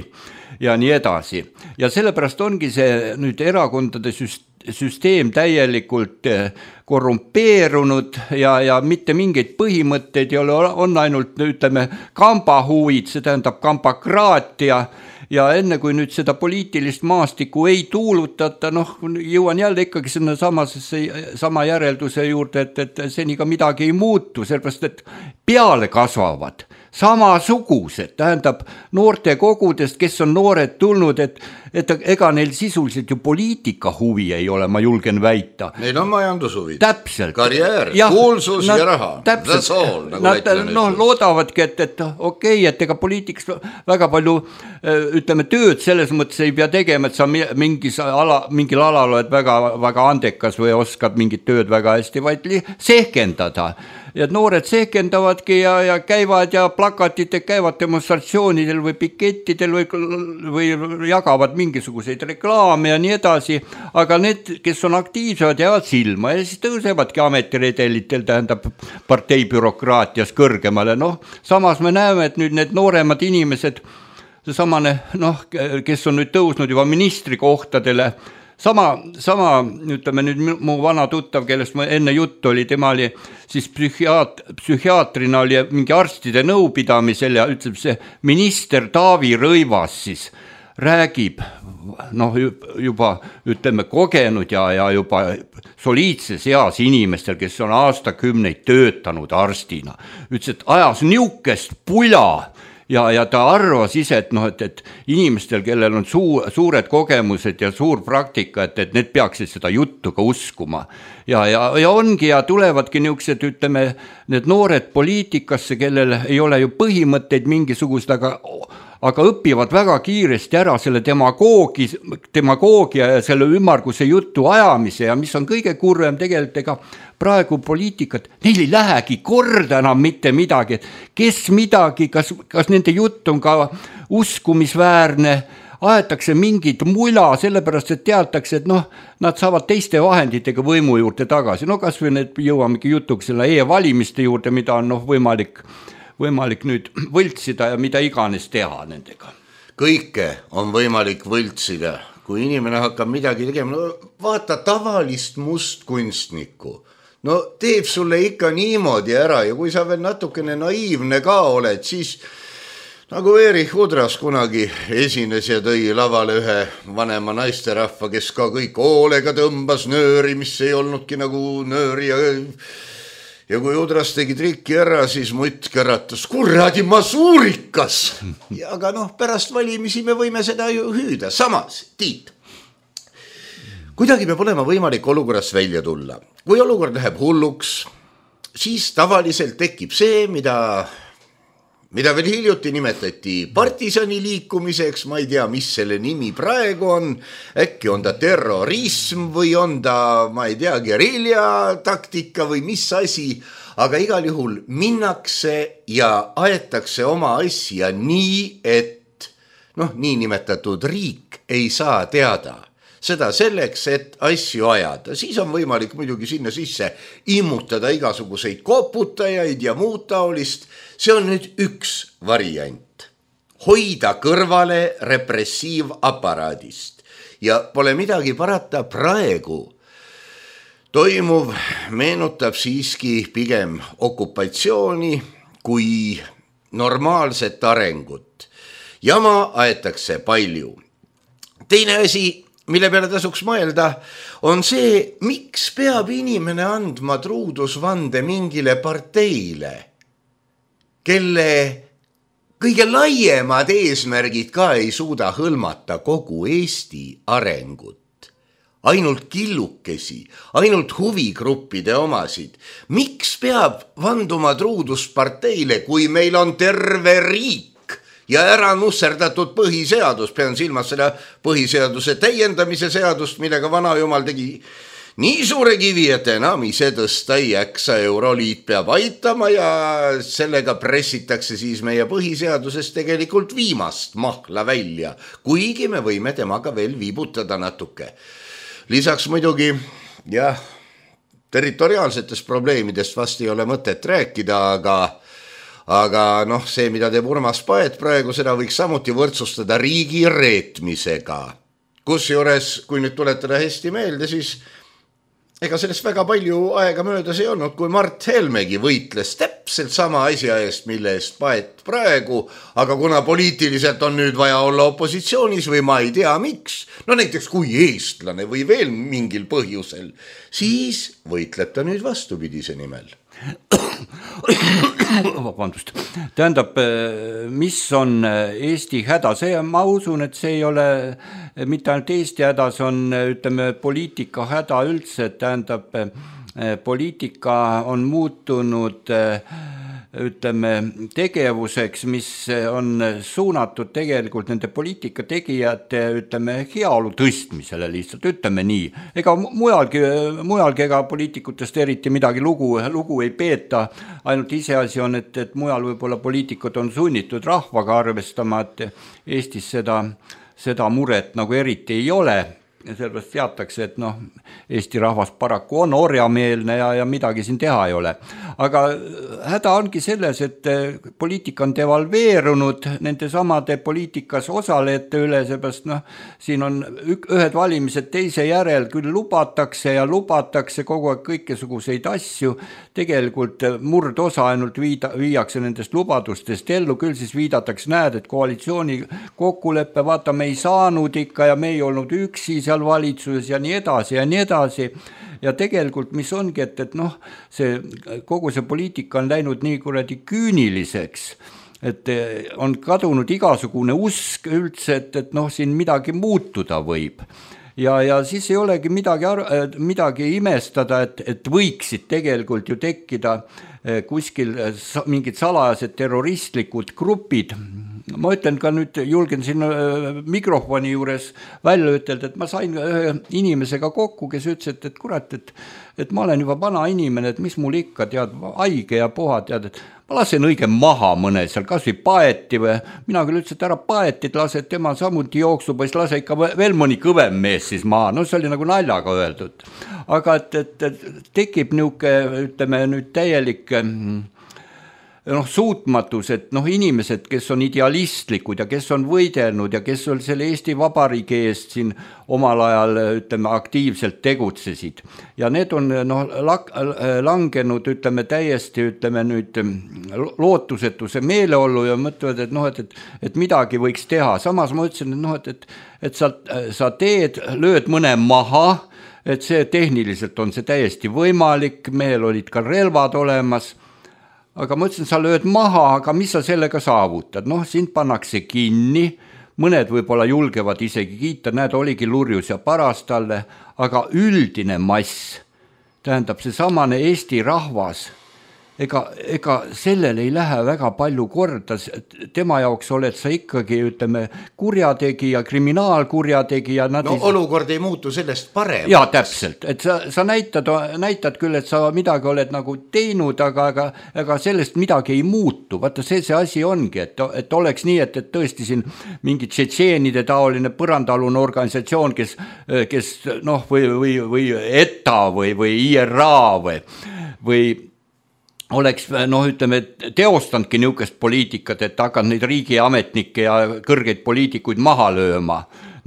ja nii edasi. Ja sellepärast ongi see nüüd erakondade süsteem täielikult korrumpeerunud ja, ja mitte mingeid põhimõtteid ei ole, on ainult, ütleme, kambahuvid, see tähendab kambakraatia. Ja enne kui nüüd seda poliitilist maastikku ei tuulutata, noh, jõuan jälle ikkagi sinna samasesse, sama järelduse juurde, et, et seni ka midagi ei muutu, sellepärast, et peale kasvavad samasugused, tähendab noorte kogudest, kes on noored tulnud, et, et ega neil sisuliselt ju poliitika huvi ei ole, ma julgen väita. Neil on majandushuvid. Täpselt. Karjäär, ja, kuulsus nad, ja raha. Täpselt. All, nagu nad no, loodavadki, et, et okei, okay, et ega poliitiks väga palju ütleme tööd selles mõttes ei pea tegema, et sa mingis ala, mingil alal oled väga, väga andekas või oskad mingit tööd väga hästi, vaid sehkendada. Ja noored sehkendavadki ja, ja käivad ja plakatid käivad demonstratsioonidel või pikettidel või, või jagavad mingisuguseid reklaame ja nii edasi, aga need, kes on aktiivsed, jäävad silma ja siis tõusevadki ametiredelitel, tähendab parteibürokraatias kõrgemale. Noh, samas me näeme, et nüüd need nooremad inimesed, see samane, noh, kes on nüüd tõusnud juba ministri kohtadele, Sama, sama, ütleme nüüd mu vana tuttav, kellest ma enne jutt oli, tema oli siis psühhiaat, psühhiaatrina oli mingi arstide nõupidamisel ja ütleb see minister Taavi Rõivas siis räägib, noh juba ütleme kogenud ja, ja juba soliidses eas inimestel, kes on aastakümneid töötanud arstina, ütles, et ajas niukest pula, Ja, ja ta arvas ise, et, noh, et, et inimestel, kellel on suu, suured kogemused ja suur praktika, et, et need peaksid seda juttu ka uskuma. Ja, ja, ja ongi ja tulevadki niisugused, ütleme, need noored poliitikasse, kellel ei ole ju põhimõtteid mingisugust, aga, aga õpivad väga kiiresti ära selle demagoogi, demagoogia ja selle ümmarguse jutu ajamise ja mis on kõige kurvem tegelikult, ega praegu poliitikat, neil ei lähegi korda enam mitte midagi, et kes midagi, kas, kas nende jutt on ka uskumisväärne, aetakse mingit mula, sellepärast, et teatakse, et noh, nad saavad teiste vahenditega võimu juurde tagasi. No kas või need jõuamegi jutuks selle e-valimiste juurde, mida on noh, võimalik, võimalik nüüd võltsida ja mida iganes teha nendega. Kõike on võimalik võltsida, kui inimene hakkab midagi tegema. No, vaata tavalist mustkunstnikku. No teeb sulle ikka niimoodi ära ja kui sa veel natukene naiivne ka oled, siis nagu Erich Udras kunagi esines ja tõi lavale ühe vanema naisterahva, kes ka kõik hoolega tõmbas nööri, mis ei olnudki nagu nööri ja, ja kui Udras tegi trikki ära, siis mutt käratas, kuradi masuurikas. Ja aga noh, pärast valimisi me võime seda ju hüüda. Samas, Tiit, kuidagi peab olema võimalik olukorrast välja tulla. Kui olukord läheb hulluks, siis tavaliselt tekib see, mida, mida veel hiljuti nimetati partisani liikumiseks, ma ei tea, mis selle nimi praegu on, äkki on ta terrorism või on ta, ma ei tea, gerilja taktika või mis asi, aga igal juhul minnakse ja aetakse oma asja nii, et noh, nii nimetatud riik ei saa teada. Seda selleks, et asju ajada. Siis on võimalik muidugi sinna sisse immutada igasuguseid koputajaid ja muud taolist. See on nüüd üks variant. Hoida kõrvale repressiivaparaadist. Ja pole midagi parata praegu. Toimuv meenutab siiski pigem okupatsiooni kui normaalset arengut. Jama aetakse palju. Teine asi, mille peale tasuks mõelda, on see, miks peab inimene andma truudusvande mingile parteile, kelle kõige laiemad eesmärgid ka ei suuda hõlmata kogu Eesti arengut. Ainult killukesi, ainult huvigruppide omasid. Miks peab vanduma truudust parteile, kui meil on terve riik, ja ära nusserdatud põhiseadus, pean silmas seda põhiseaduse täiendamise seadust, millega vana jumal tegi nii suure kivi, et enam ise tõsta ei jaksa, Euroliit peab aitama ja sellega pressitakse siis meie põhiseadusest tegelikult viimast mahla välja, kuigi me võime temaga veel viibutada natuke. Lisaks muidugi, jah, territoriaalsetest probleemidest vast ei ole mõtet rääkida, aga aga noh, see, mida teeb Urmas Paet praegu, seda võiks samuti võrdsustada riigi reetmisega. Kusjuures, kui nüüd tuletada hästi meelde, siis ega sellest väga palju aega möödas ei olnud, kui Mart Helmegi võitles täpselt sama asja eest, mille eest Paet praegu, aga kuna poliitiliselt on nüüd vaja olla opositsioonis või ma ei tea miks, no näiteks kui eestlane või veel mingil põhjusel, siis võitleb ta nüüd vastupidise nimel. Vabandust. Tähendab, mis on Eesti häda? See, ma usun, et see ei ole mitte ainult Eesti häda, see on, ütleme, poliitika häda üldse. Tähendab, poliitika on muutunud, ütleme, tegevuseks, mis on suunatud tegelikult nende poliitika tegijate, ütleme, heaolu tõstmisele lihtsalt, ütleme nii. Ega mujalgi, mujalgi ega poliitikutest eriti midagi lugu, lugu ei peeta, ainult iseasi on, et, et mujal võib-olla poliitikud on sunnitud rahvaga arvestama, et Eestis seda, seda muret nagu eriti ei ole. Ja sellepärast teatakse, et noh, Eesti rahvas paraku on orjameelne ja, ja midagi siin teha ei ole. Aga häda ongi selles, et poliitika on devalveerunud nende samade poliitikas osalejate üle, seepärast noh, siin on ühed valimised teise järel, küll lubatakse ja lubatakse kogu aeg kõikesuguseid asju, tegelikult murdosa ainult viida, viiakse nendest lubadustest ellu, küll siis viidatakse, näed, et koalitsiooni kokkuleppe, vaata, me ei saanud ikka ja me ei olnud üksi seal valitsuses ja nii edasi ja nii edasi. Ja tegelikult, mis ongi, et, et noh, see, kogu see poliitika on läinud nii kuradi küüniliseks, et on kadunud igasugune usk üldse, et, et noh, siin midagi muutuda võib. Ja, ja siis ei olegi midagi, midagi imestada, et, et võiksid tegelikult ju tekkida kuskil mingid salajased terroristlikud grupid. Ma ütlen ka nüüd, julgen siin mikrofoni juures välja ütelda, et ma sain ühe inimesega kokku, kes ütles, et, et kurat, et, et ma olen juba vana inimene, et mis mul ikka tead, haige ja puha tead, et ma lasen õige maha mõne seal, kas või Paeti või mina küll ütles, et ära Paetit lase, et tema samuti jooksub, siis lase ikka veel mõni kõvem mees siis maha, no see oli nagu naljaga öeldud. Aga et, et, et tekib niuke, ütleme nüüd täielik noh, suutmatus, et noh, inimesed, kes on idealistlikud ja kes on võidelnud ja kes on selle Eesti Vabariigi eest siin omal ajal, ütleme, aktiivselt tegutsesid. Ja need on noh, langenud, ütleme, täiesti, ütleme nüüd lootusetuse meeleollu ja mõtlevad, et noh, et, et, et midagi võiks teha. Samas ma ütlesin, et noh, et, et, et sa, sa teed, lööd mõne maha, et see tehniliselt on see täiesti võimalik, mehel olid ka relvad olemas, aga ma ütlesin, sa lööd maha, aga mis sa sellega saavutad? Noh, sind pannakse kinni, mõned võib-olla julgevad isegi kiita, näed, oligi lurjus ja paras talle, aga üldine mass, tähendab see samane Eesti rahvas, ega, ega sellel ei lähe väga palju korda, tema jaoks oled sa ikkagi, ütleme, kurjategija, kriminaalkurjategija. No ei... olukord ei muutu sellest parem. Jaa, täpselt, et sa, sa näitad, näitad küll, et sa midagi oled nagu teinud, aga, aga, aga sellest midagi ei muutu. Vaata, see see asi ongi, et, et oleks nii, et, et tõesti siin mingi tšetšeenide taoline põrandalune organisatsioon, kes, kes noh, või, või, või E T A või, või I R A või, või oleks, noh, ütleme, teostandki niisugust poliitikat, et hakkad neid riigiametnikke ja kõrgeid poliitikuid maha lööma.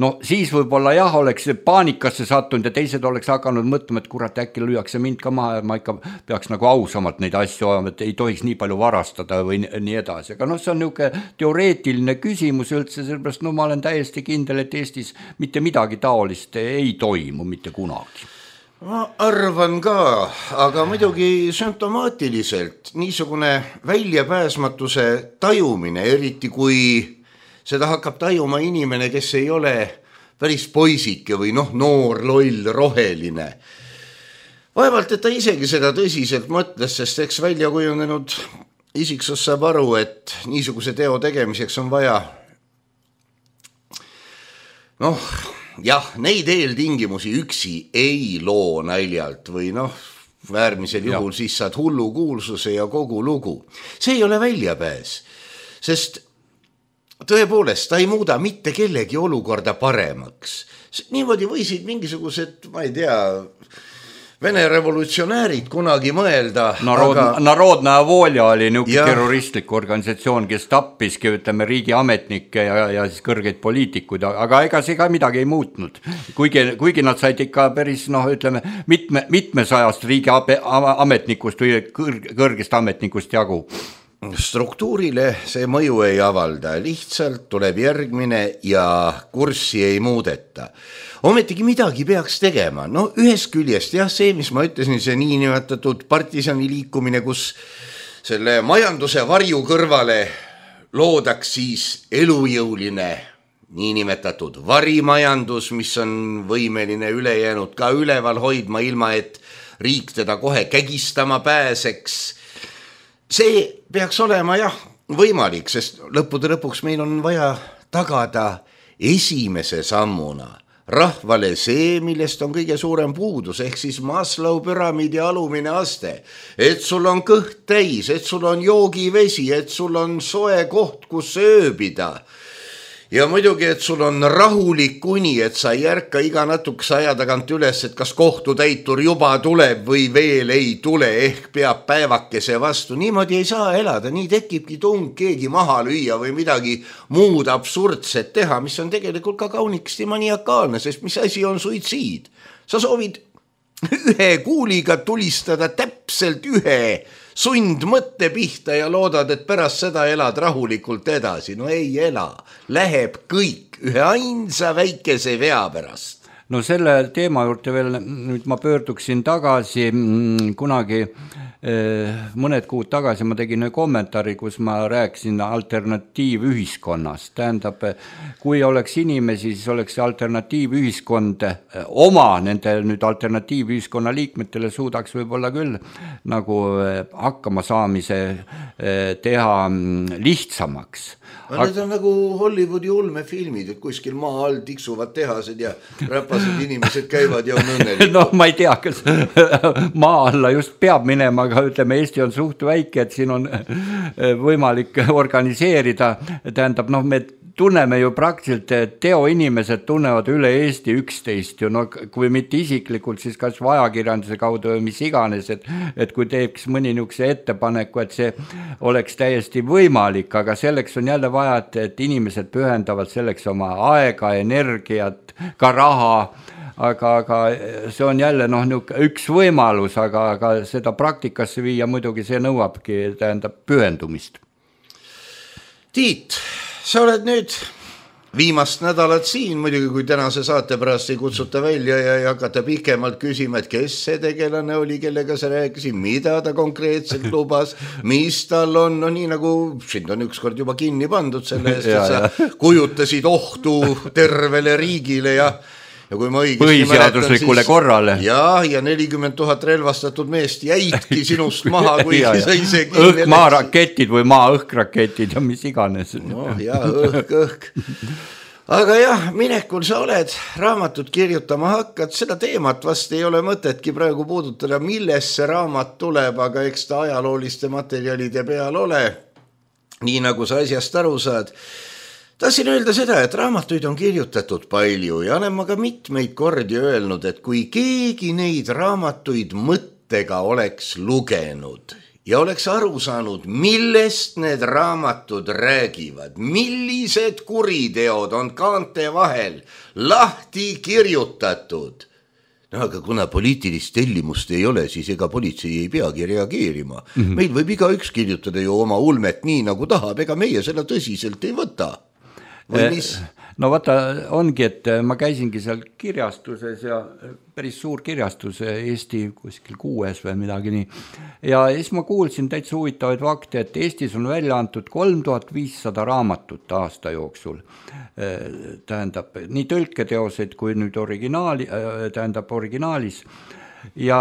No siis võib-olla jah, oleks paanikasse sattunud ja teised oleks hakanud mõtlema, et kurat, äkki lüüakse mind ka maha ja ma ikka peaks nagu ausamalt neid asju olema, et ei tohiks nii palju varastada või nii edasi. Aga noh, see on niisugune teoreetiline küsimus üldse, sellepärast no ma olen täiesti kindel, et Eestis mitte midagi taolist ei toimu mitte kunagi. Ma arvan ka, aga muidugi sümptomaatiliselt niisugune väljapääsmatuse tajumine, eriti kui seda hakkab tajuma inimene, kes ei ole päris poisike või noh, noor, loll, roheline. Vaevalt, et ta isegi seda tõsiselt mõtles, sest eks välja kujunenud isiksus saab aru, et niisuguse teo tegemiseks on vaja noh, jah, neid eeltingimusi üksi ei loo naljalt või noh, äärmisel juhul ja. Siis saad hullu kuulsuse ja kogu lugu. See ei ole väljapääs, sest tõepoolest ta ei muuda mitte kellegi olukorda paremaks. Niimoodi võisid mingisugused, ma ei tea, Vene revolutsionäärid kunagi mõelda. Narod, aga... Narodnaja Volja oli niisugune terroristlik organisatsioon, kes tappiski, ütleme, riigiametnikke ja, ja siis kõrgeid poliitikuid, aga ega see ka midagi ei muutnud. Kuigi, kuigi nad said ikka päris, noh, ütleme, mitme, mitmesajast riigiametnikust või kõrgest ametnikust jagu. Struktuurile see mõju ei avalda, lihtsalt tuleb järgmine ja kurssi ei muudeta. Ometigi midagi peaks tegema, no ühest küljest jah, see, mis ma ütlesin, see niinimetatud partisani liikumine, kus selle majanduse varju kõrvale loodaks siis elujõuline niinimetatud varimajandus, mis on võimeline ülejäänud ka üleval hoidma, ilma et riik teda kohe kägistama pääseks. See peaks olema jah võimalik, sest lõppude lõpuks meil on vaja tagada esimese sammuna rahvale see, millest on kõige suurem puudus, ehk siis Maslow püramiidi alumine aste, et sul on kõht täis, et sul on joogivesi, et sul on soe koht, kus ööbida. Ja muidugi, et sul on rahulik uni, et sa ei ärka iga natukese aja tagant üles, et kas kohtutäitur juba tuleb või veel ei tule, ehk peab päevakese vastu. Niimoodi ei saa elada, nii tekibki tung keegi maha lüüa või midagi muud absurdset teha, mis on tegelikult ka kaunikesti maniakaalne, sest mis asi on suitsiid? Sa soovid ühe kuuliga tulistada täpselt ühe sund mõtte pihta ja loodad, et pärast seda elad rahulikult edasi. No ei ela, läheb kõik ühe ainsa väikese vea pärast. No selle teema juurde veel, nüüd ma pöörduksin tagasi kunagi, mõned kuud tagasi ma tegin kommentaari, kus ma rääkisin alternatiivühiskonnast. Tähendab, kui oleks inimesi, siis oleks alternatiivühiskond oma nende nüüd alternatiivühiskonna liikmetele suudaks võib-olla küll nagu hakkama saamise teha lihtsamaks. Aga need on nagu Hollywoodi ulmefilmid, et kuskil maa all tiksuvad tehased ja räpased inimesed käivad ja on õnnelikud. No ma ei tea, kas maa alla just peab minema, aga ütleme, Eesti on suht väike, et siin on võimalik organiseerida. Tähendab, noh, me tunneme ju praktiliselt, teoinimesed tunnevad üle Eesti üksteist ju, no kui mitte isiklikult, siis kas ajakirjanduse kaudu või mis iganes, et, et kui teeks mõni niisuguse ettepaneku, et see oleks täiesti võimalik, aga selleks on jälle vaja, et, et inimesed pühendavad selleks oma aega, energiat, ka raha, aga, aga see on jälle noh, üks võimalus, aga, aga seda praktikasse viia muidugi see nõuabki, tähendab pühendumist. Tiit, sa oled nüüd viimast nädalat siin, muidugi kui tänase saate pärast ei kutsuta välja ja ei hakata pikemalt küsima, et kes see tegelane oli, kellega sa rääkisid, mida ta konkreetselt lubas, mis tal on, no nii nagu sind on ükskord juba kinni pandud selle eest, et sa kujutasid ohtu tervele riigile ja Ja kui ma põhiseaduslikule siis, korrale. Ja, ja nelikümmend tuhat relvastatud meest jäidki sinust maha, kui ja, sa ise õhk maaraketid või maa-õhkraketid ja mis iganes. No ja, õhk, õhk. Aga jah, minekul sa oled, raamatut kirjutama hakkad, seda teemat vast ei ole mõtetki praegu puudutada, milles see raamat tuleb, aga eks ta ajalooliste materjalide peal ole, nii nagu sa asjast aru saad. Tahtsin öelda seda, et raamatuid on kirjutatud palju ja olen ma ka mitmeid kordi öelnud, et kui keegi neid raamatuid mõttega oleks lugenud ja oleks aru saanud, millest need raamatud räägivad, millised kuriteod on kaante vahel lahti kirjutatud. No aga kuna poliitilist tellimust ei ole, siis ega politsei ei peagi reageerima. Mm-hmm. Meil võib iga üks kirjutada ju oma ulmet nii nagu tahab, ega meie seda tõsiselt ei võta. No vaata, ongi, et ma käisingi seal kirjastuses ja päris suur kirjastus Eesti kuskil kuues või midagi nii. Ja siis ma kuulsin täitsa huvitavaid fakte, et Eestis on välja antud kolm tuhat viissada raamatut aasta jooksul. Tähendab, nii tõlketeoseid kui nüüd originaali, tähendab originaalis. ja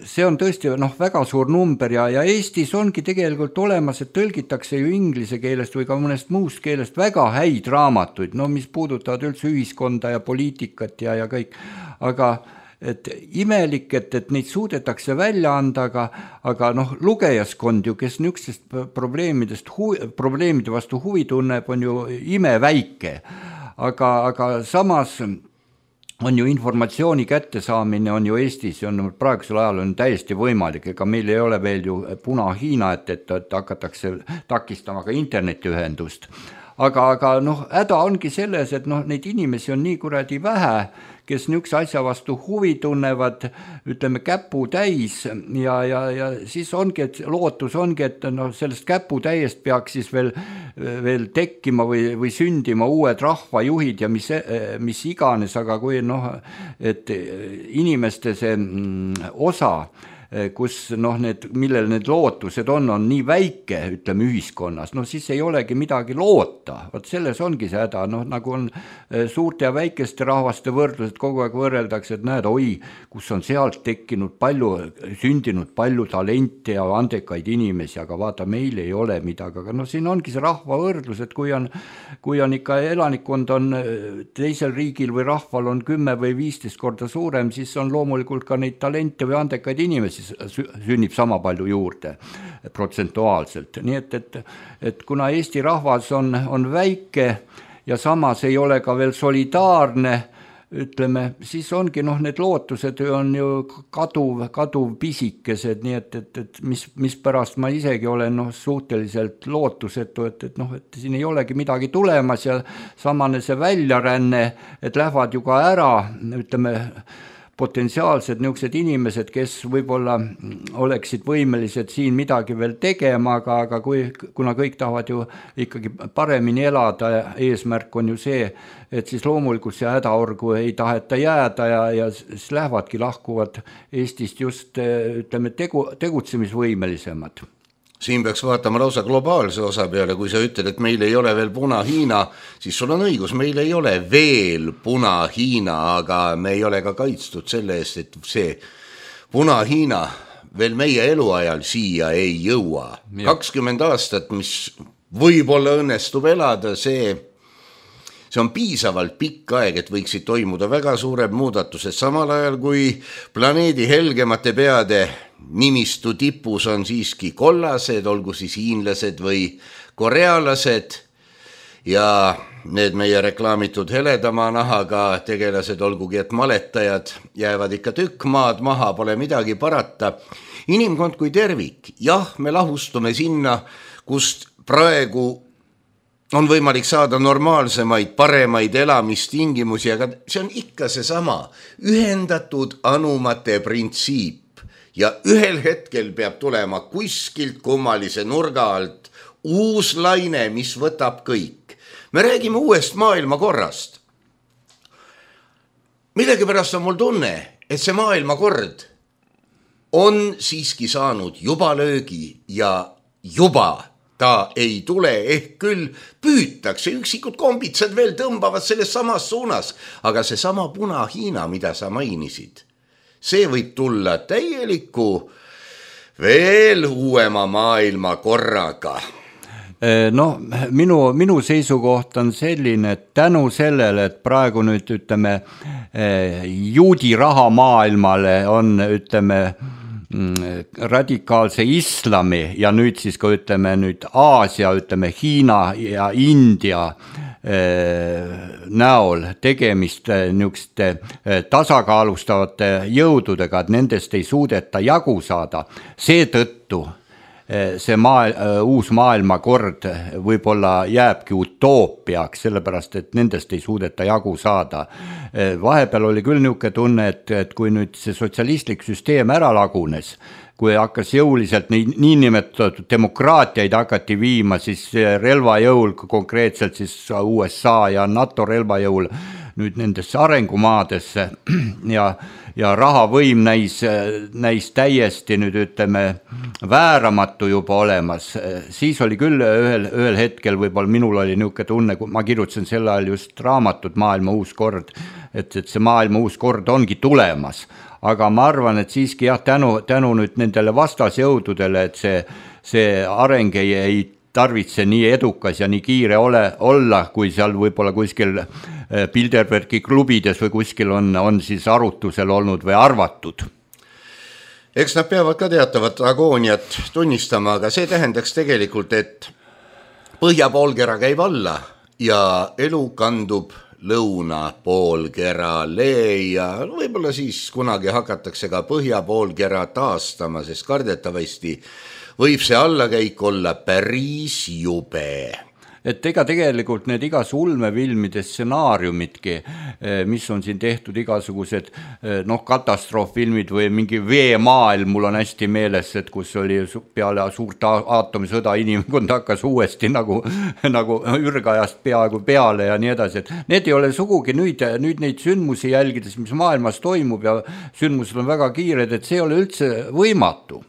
see on tõesti noh, väga suur number ja, ja Eestis ongi tegelikult olemas, et tõlgitakse ju inglise keelest või ka mõnest muust keelest väga häid raamatuid, no mis puudutavad üldse ühiskonda ja poliitikat ja, ja kõik, aga et imelik, et, et neid suudetakse välja anda, aga, aga noh, lugejaskond ju, kes niisugustest probleemidest, huvi, probleemide vastu huvi tunneb, on ju imeväike, aga, aga samas on ju informatsiooni kättesaamine on ju Eestis, on praegusel ajal on täiesti võimalik, ega meil ei ole veel ju Puna-Hiina, et, et, et hakatakse takistama ka internetiühendust. Aga, aga noh, häda ongi selles, et noh, neid inimesi on nii kuradi vähe, kes niisuguse asja vastu huvi tunnevad, ütleme käpu täis ja, ja, ja siis ongi, et lootus ongi, et no, sellest käpu täiest peaks siis veel, veel tekkima või, või sündima uued rahvajuhid ja mis, mis iganes, aga kui noh, et inimeste see osa, kus noh, need, millel need lootused on, on nii väike, ütleme ühiskonnas, no siis ei olegi midagi loota, vot selles ongi see häda, noh nagu on suurte ja väikeste rahvaste võrdlused, kogu aeg võrreldakse, et näed, oi, kus on sealt tekkinud palju, sündinud palju talente ja andekaid inimesi, aga vaata, meil ei ole midagi, aga no siin ongi see rahva võrdlus, et kui on, kui on ikka elanikkond on teisel riigil või rahval on kümme või viisteist korda suurem, siis on loomulikult ka neid talente või andekaid inimesi sünnib sama palju juurde protsentuaalselt. Nii et, et, et kuna Eesti rahvas on, on väike ja samas ei ole ka veel solidaarne, ütleme, siis ongi noh, need lootused on ju kaduv, kaduv pisikesed, nii et, et, et mis, mis pärast ma isegi olen noh, suhteliselt lootusetu, et, et noh, et siin ei olegi midagi tulemas ja samane see väljaränne, et lähevad ju ka ära, ütleme, potentsiaalsed niisugused inimesed, kes võib-olla oleksid võimelised siin midagi veel tegema, aga, aga kui, kuna kõik tahavad ju ikkagi paremini elada, eesmärk on ju see, et siis loomulikult see hädaorgu ei taheta jääda ja, ja siis lähevadki lahkuvad Eestist just ütleme, tegu, tegutsemisvõimelisemad. Siin peaks vaatama lausa globaalse osa peale, kui sa ütled, et meil ei ole veel Puna-Hiina, siis sul on õigus, meil ei ole veel Puna-Hiina, aga me ei ole ka kaitstud selle eest, et see Puna-Hiina veel meie eluajal siia ei jõua. kakskümmend aastat, mis võib-olla õnnestub elada, see, see on piisavalt pikk aeg, et võiksid toimuda väga suured muudatused, samal ajal kui planeedi helgemate peade nimistu tipus on siiski kollased, olgu siis hiinlased või korealased ja need meie reklaamitud heledama nahaga tegelased, olgugi et maletajad jäävad ikka tükk maad maha, pole midagi parata. Inimkond kui tervik, jah, me lahustume sinna, kust praegu on võimalik saada normaalsemaid, paremaid elamistingimusi, aga see on ikka seesama ühendatud anumate printsiip. Ja ühel hetkel peab tulema kuskilt kummalise nurga alt uus laine, mis võtab kõik. Me räägime uuest maailmakorrast. Millegipärast on mul tunne, et see maailmakord on siiski saanud juba löögi ja juba ta ei tule, ehk küll püütakse, üksikud kombitsad veel tõmbavad selles samas suunas, aga see sama Puna-Hiina, mida sa mainisid, see võib tulla täieliku veel uuema maailma korraga. No, minu, minu seisukoht on selline, et tänu sellele, et praegu nüüd ütleme juudi raha maailmale on ütleme radikaalse islami ja nüüd siis ka ütleme nüüd Aasia, ütleme Hiina ja India näol tegemist niisuguste tasakaalustavate jõududega, et nendest ei suudeta jagu saada. Seetõttu see maa, uus maailmakord võib-olla jääbki utoopiaks, sellepärast et nendest ei suudeta jagu saada. Vahepeal oli küll niisugune tunne, et, et kui nüüd see sotsialistlik süsteem ära lagunes, kui hakkas jõuliselt nii, niinimetatud demokraatiaid hakati viima, siis relvajõul, konkreetselt siis U S A ja NATO relvajõul nüüd nendesse arengumaadesse ja, ja rahavõim näis, näis täiesti nüüd ütleme vääramatu juba olemas, siis oli küll ühel, ühel hetkel, võib-olla minul oli niisugune tunne, kui ma kirjutasin sel ajal just raamatut Maailma uus kord, et, et see maailma uus kord ongi tulemas. aga ma arvan, et siiski jah, tänu, tänu nüüd nendele vastasjõududele, et see, see areng ei, ei tarvitse nii edukas ja nii kiire ole, olla, kui seal võib-olla kuskil Bilderbergi klubides või kuskil on, on siis arutusel olnud või arvatud. Eks nad peavad ka teatavat agooniat tunnistama, aga see tähendaks tegelikult, et põhjapoolkera käib alla ja elu kandub lõunapoolkerale ja võib-olla siis kunagi hakatakse ka põhjapoolkera taastama, sest kardetavasti võib see allakäik olla päris jube. Et ega tegelikult need igas ulmefilmide stsenaariumitki, mis on siin tehtud igasugused noh, katastroofilmid või mingi veemaailm, mul on hästi meeles, et kus oli peale suurt aatomisõda inimkond hakkas uuesti nagu, nagu ürgajast peaaegu peale ja nii edasi, et need ei ole sugugi nüüd, nüüd neid sündmusi jälgides, mis maailmas toimub ja sündmused on väga kiired, et see ei ole üldse võimatu.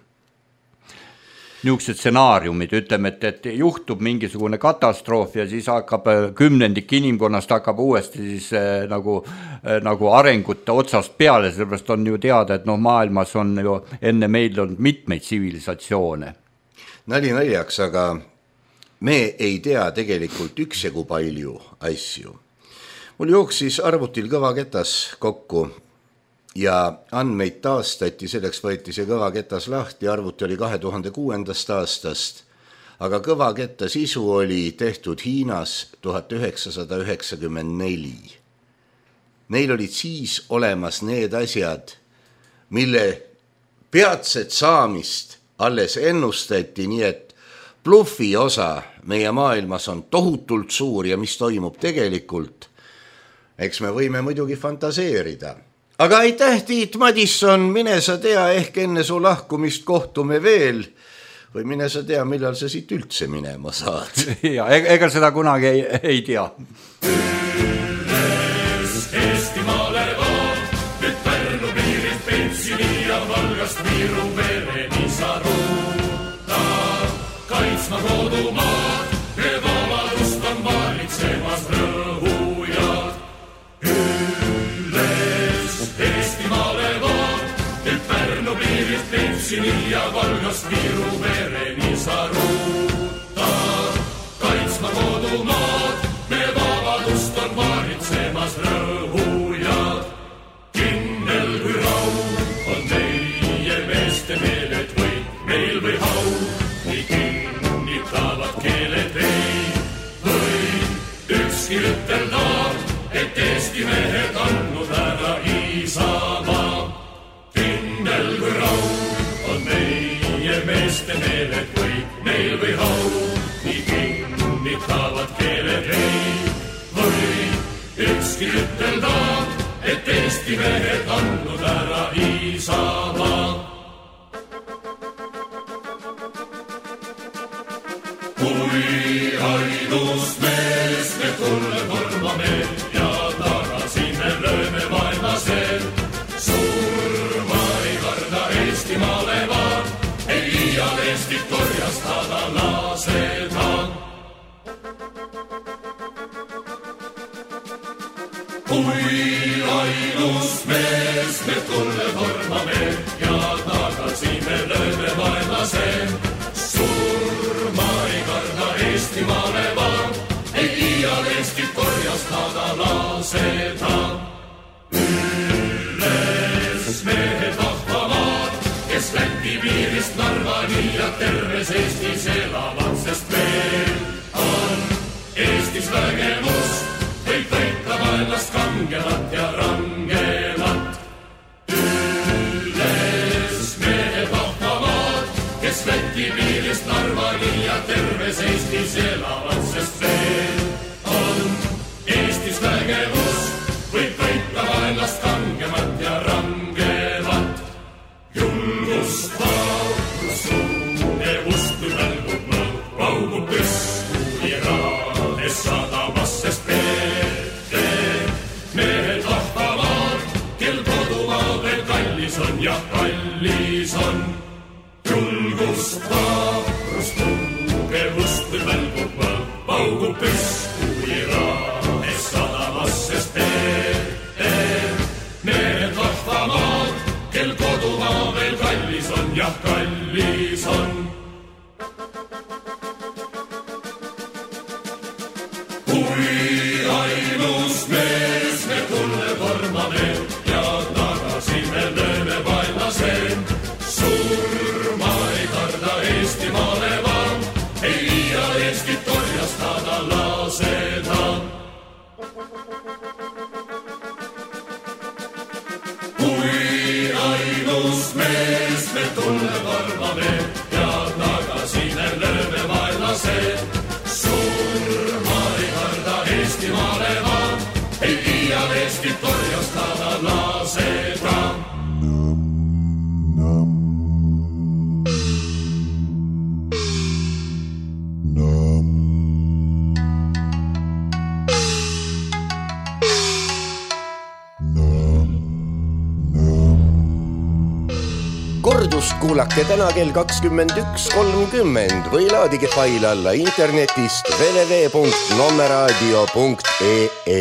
Niisugused stsenaariumid, ütleme, et, et juhtub mingisugune katastroof ja siis hakkab kümnendik inimkonnast hakkab uuesti siis eh, nagu, eh, nagu arengut otsast peale, sellepärast on ju teada, et noh, maailmas on ju enne meil on mitmeid tsivilisatsioone. Nali naljaks, aga me ei tea tegelikult üksjagu palju asju. Mul jooksis arvutil kõvaketas kokku ja andmeid taastati, selleks võeti see kõvaketas lahti, arvuti oli kahe tuhande kuuendast aastast, aga kõvaketta sisu oli tehtud Hiinas tuhat üheksasada üheksakümmend neli. Neil olid siis olemas need asjad, mille peatset saamist alles ennustati, nii et bluffi osa meie maailmas on tohutult suur ja mis toimub tegelikult, eks me võime muidugi fantaseerida. Aga aitäh, Tiit Madisson, mine sa tea, ehk enne su lahkumist kohtume veel või mine sa tea, millal sa siit üldse minema saad. Ja, ega seda kunagi ei, ei tea. Üles Eestimaale vaat, nüüd Pärnu piirilt Pentsini ja Valgast Viru vereni sa ruuta. Kaitsma kodumaad, me vabadust on valitsemas rõhujad. Eestimaale vaat, nüüd Pärnu piirilt Pentsini ja Valgast Viru vereni sa ruuta. Kaitsma kodumaad, me vabadust on valitsemas rõhujad. Kindel kui raud on meie meeste meeled või meil või hau, nii kinnitavad keeled ei või ükski ütelda, et Eesti mehed andnud ära Isamaa. Kindel kui raud on meie meeste meeled või meil või hau, nii kinnitavad keeled ei või ükski ütelda, et Eesti mehed andnud ära Isamaa. Kui ainus mees me tulle tormame ja tagasi me lööme vaenlasel, surma ei karda Eestimaale vaan, ei iial Eestit korjastada laseda. Kui ainus mees me tulle tormame ja tagasi me lööme vaenlasel, surma ei karda Eestimaale vaan, ei iial Eestit korjastada laseda. Üles mehed vahvamaad, kes Läti piirist Narvani ja terves Eestis elavad, sest veel on Eestis vägevust, võib võita vaenlast kangemat ja rangemat. Üles mehed vahvamaad, kes Läti piirist Narvani ja terves Eestis elavad, sest veel on Eestis vägevust, võib võita vaenlast kangemat ja rangemat. Julgust, vaurust, tugevust, välgub mõõg, paugub püsku iraades sadamas, sest mehed, mehed vahvamaad, kel kodumaa veel kallis on ja kallis on. Julgust, vaurust, tugevust, välgub mõõg, paugub Eestit korjastada laseda. Kui ainus mees me tulle varvame ja tagasine lööme vaenlased. Surma ei karda Eestimaale vaan, ei iial Eestit korjastada laseda. Kordust kuulake täna kell kakskümmend üks kolmkümmend või laadige fail alla internetist w w w punkt nommeraadio punkt e e.